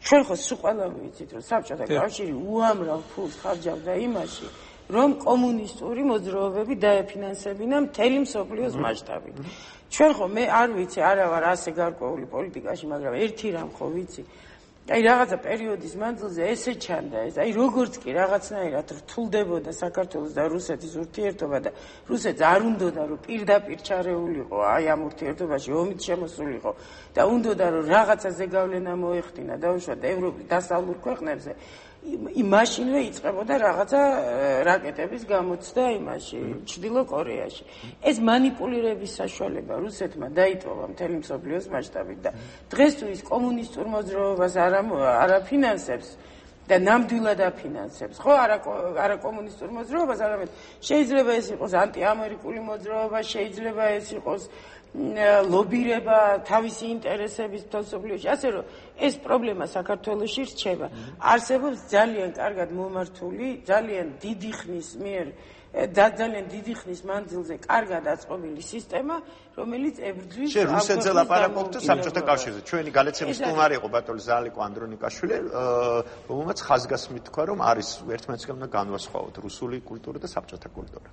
ჩვენ ხო სულ ყველა ვიცით, რომ საბჭოთა კავშირი უამრავ ფულს ხარჯავდა იმაში, რომ კომუნისტური მოძრაობები დაეფინანსებინა მთელი მსოფლიოს მასშტაბით. ჩვენ ხო მე არ ვიცი, არა ვარ ასე გარკვეული პოლიტიკაში, მაგრამ ერთი რამ ხო ვიცი. აი რაღაცა პერიოდის მანძილზე ესე ჩანდა ეს, აი როგორც კი რაღაცნაირად რთულდებოდა საქართველოს და რუსეთის ურთიერთობა და რუსეთს არ უნდოდა რომ პირდაპირ ჩარეულიყო აი ამ ურთიერთობაში ომით შემოსულიყო და უნდოდა რომ რაღაცა ზეგავლენა მოეხდინა დაუშვათ ევროპის დასავლურ ქვეყნებზე, მაშინვე იწყებოდა რაღაცა რაკეტების გამოცდა იმაში, ჩრდილო კორეაში. ეს манипуლირების საშუალება რუსეთმა დაიტოვა მთელი მსოფლიოს მასშტაბით და დღეს თუ ის კომუნისტურ მოძრაობას არ აფინანსებს და ნამდვილად აფინანსებს, ხო, არა კომუნისტურ მოძრაობას, არამედ შეიძლება ეს იყოს ანტიამერიკული მოძრაობა, შეიძლება ეს იყოს ლობირება თავისი ინტერესების თვალსაჩინოში, ასე რომ ეს პრობლემა საქართველოში რჩება. არსებობს ძალიან კარგად მომართული, ძალიან დიდი ხნის მიერ და ძალიან დიდი ხნის მანძილზე კარგად აწყობილი სისტემა, რომელიც ებრძვის შენ რუსეთზე ლაპარაკობთ საბჭოთა კავშირზე. ჩვენი გალეცების სტუმარი იყო ბატონი ზალიკო ანდრონიკაშვილი, რომელმაც ხაზგასმით თქვა, რომ არის ერთმანეთისგან უნდა განვასხვაოთ რუსული კულტურა და საბჭოთა კულტურა.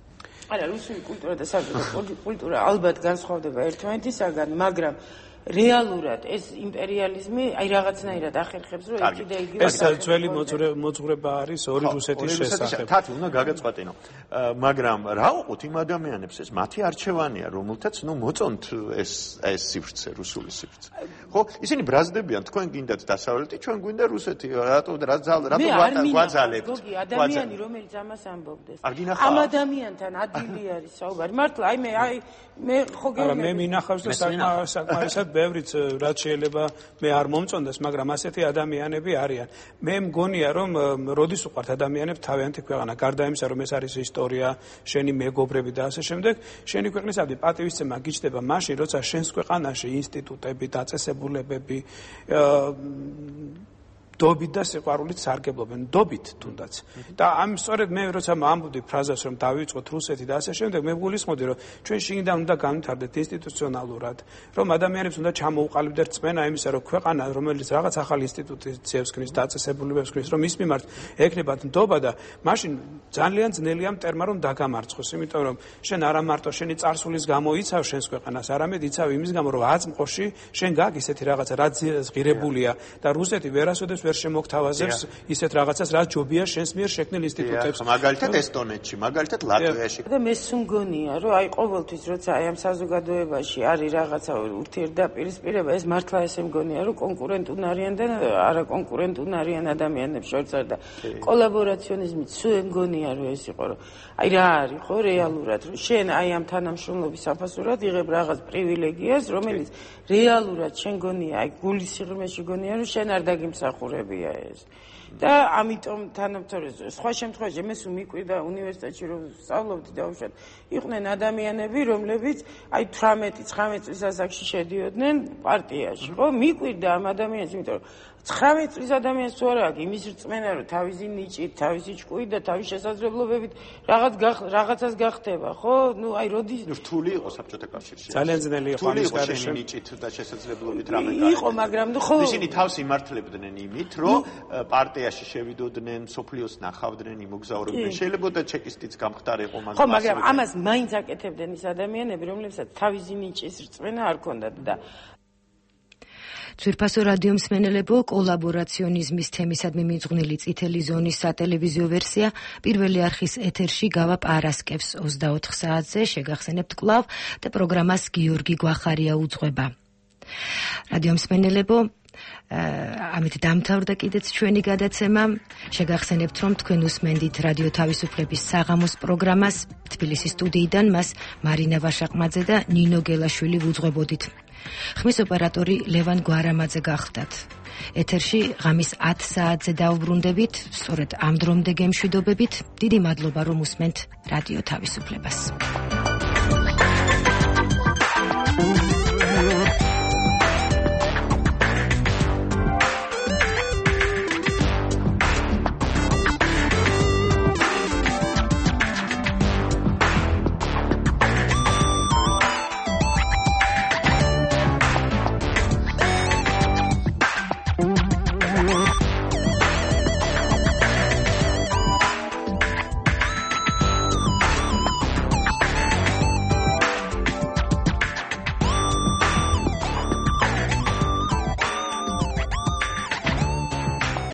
არა, რუსული კულტურა და საბჭოთა კულტურა ალბათ განსხვავდება ერთმანეთისაგან, მაგრამ რეალურად ეს იმპერიალიზმი აი რაღაცნაირად ახერხებს, რომ ერთი და იგივე ეს ძველი მოძღვრება არის ორი რუსეთის შესახებ. თათი უნდა გაგეწყვეტინო. მაგრამ რა უყოთ იმ ადამიანებს ეს მათი არჩევანია, რომელთაც ნუ მოწონთ ეს სივრცე, რუსული სივრცე. ხო, ისინი ბრაზდებიან, თქვენ გინდათ დასავლეთი, ჩვენ გვინდა რუსეთი. რატო გვაძალებთ? ადამიანი რომელიც ამას ამბობდეს. ამ ადამიანთან ადვილი არის საუბარი. მართლა მე ხო გეუბნები. მე მინახავს და საკმარისად ბევრიც რაც შეიძლება მე არ მომწონდეს, მაგრამ ასეთი ადამიანები არიან. მე მგონია რომ როდის უყვართ ადამიანებს თავიანთი ქვეყანა, გარდა იმისა რომ ეს არის ისტორია, შენი მეგობრები და ასე შემდეგ, შენი ქვეყნისადმი პატივისცემა გიჩნდება მაშინ, როცა შენს ქვეყანაში ინსტიტუტები, დაწესებულებები დობით და სიყვარულით სარგებლობენ, დობით თუნდაც. და ამ სწორედ მე როცა ამბობდი ფრაზას რომ დავიწყოთ რუსეთი და ასე შემდეგ, მე გულისხმობდი რომ ჩვენ შინიდან უნდა განვითარდეთ ინსტიტუციონალურად, რომ ადამიანებს უნდა ჩამოუყალიბდეთ რწმენა იმისა, რომ ქვეყანა რომელიც რაღაც ახალ ინსტიტუციებს ქმნის, დაწესებულებებს ქმნის, რომ ის მიმართ ექნებათ ნდობა და მაშინ ძალიან ძნელია მტერმა რომ დაგამარცხოს, იმიტომ რომ შენ არა მარტო შენი წარსულის გამო იცავ შენს ქვეყანას, არამედ იცავ იმის გამო რომ აწმყოში შენ გაქვს ისეთი რაღაცა რაც ღირებულია და რუსეთი ვერასოდეს ვერ შემოგთავაზებს ისეთ რაღაცას, რაც ჯობია შენს მიერ შექმნილ ინსტიტუტებს. მაგალითად ესტონეთში, მაგალითად ლატვიაში. და მე სუმგონია, რომ აი ყოველთვის როცა აი ამ საზოგადოებაში არის რაღაცა ურთიერთდაპირისპირება, ეს მართლა ესე მგონია, რომ კონკურენტუნ არიან და არა კონკურენტუნ არიან ადამიანებს შორის და კოლაბორაციონიზმი სულ მგონია, რომ ეს იყო, რომ აი რა არის ხო რეალურად, რომ შენ აი ამ თანამშრომლობის საფასურად იღებ რაღაც პრივილეგიას, რომელიც რეალურად შენ გონია, აი გულის სიღრმეში გონია, რომ შენ არ დაგიმსახურებია ეს. და ამიტომ თანამთავრობაზე სხვა შემთხვევაში მე სულ მიკვირდა უნივერსიტეტში რომ სწავლობდი და უშუალოდ იყვნენ ადამიანები რომლებიც აი 18-19 წლის ასაკში შედიოდნენ პარტიაში ხო მიკვირდა ამ ადამიანს იმიტომ რომ 19 წლის ადამიანს თუ არა აქვს იმის რწმენა რომ თავისი ნიჭით, თავისი ჭკუით და თავისი შესაძლებლობებით რაღაცას გახდება ხო? ნუ აი როდის რთული იყო საბჭოთა კავშირში. ძალიან ძნელი იყო ამის გარეშე ნიჭით და შესაძლებლობით რამე იყო, მაგრამ ნუ ხო ისინი თავს იმართლებდნენ იმით, რომ პარტიაში შევიდოდნენ, სოფლიოს ნახავდნენ, იმოგზაურებდნენ. შეიძლება და ჩეკისტიც გამხდარიყო, მაგრამ ხო, მაგრამ ამას მაინც აკეთებდნენ ის ადამიანები, რომლებსაც თავისი ნიჭის რწმენა არ ჰქონდათ და ძვირფასო რადიო მსმენელებო, კოლაბორაციონიზმის თემისადმი მიძღვნილი წითელი ზონის სატელევიზიო ვერსია პირველი არხის ეთერში გავა პარასკევს 24 საათზე, შეგახსენებთ კვლავ და პროგრამას გიორგი გვახარია უძღვება. რადიო მსმენელებო, ამით დამთავრდა კიდეც ჩვენი გადაცემა. შეგახსენებთ, რომ თქვენ უსმენდით რადიო თავისუფლების საღამოს პროგრამას. თბილისის სტუდიიდან მას მარინა ვაშაყმაძე და ნინო გელაშვილი უძღვებოდით. ხმის ოპერატორი ლევან გვარამაძე გახდათ. ეთერში ღამის 10 საათზე დავბრუნდებით, სწორედ ამ დრომდე გემშვიდობებით. დიდი მადლობა რომ უსმენთ რადიო თავისუფლებას.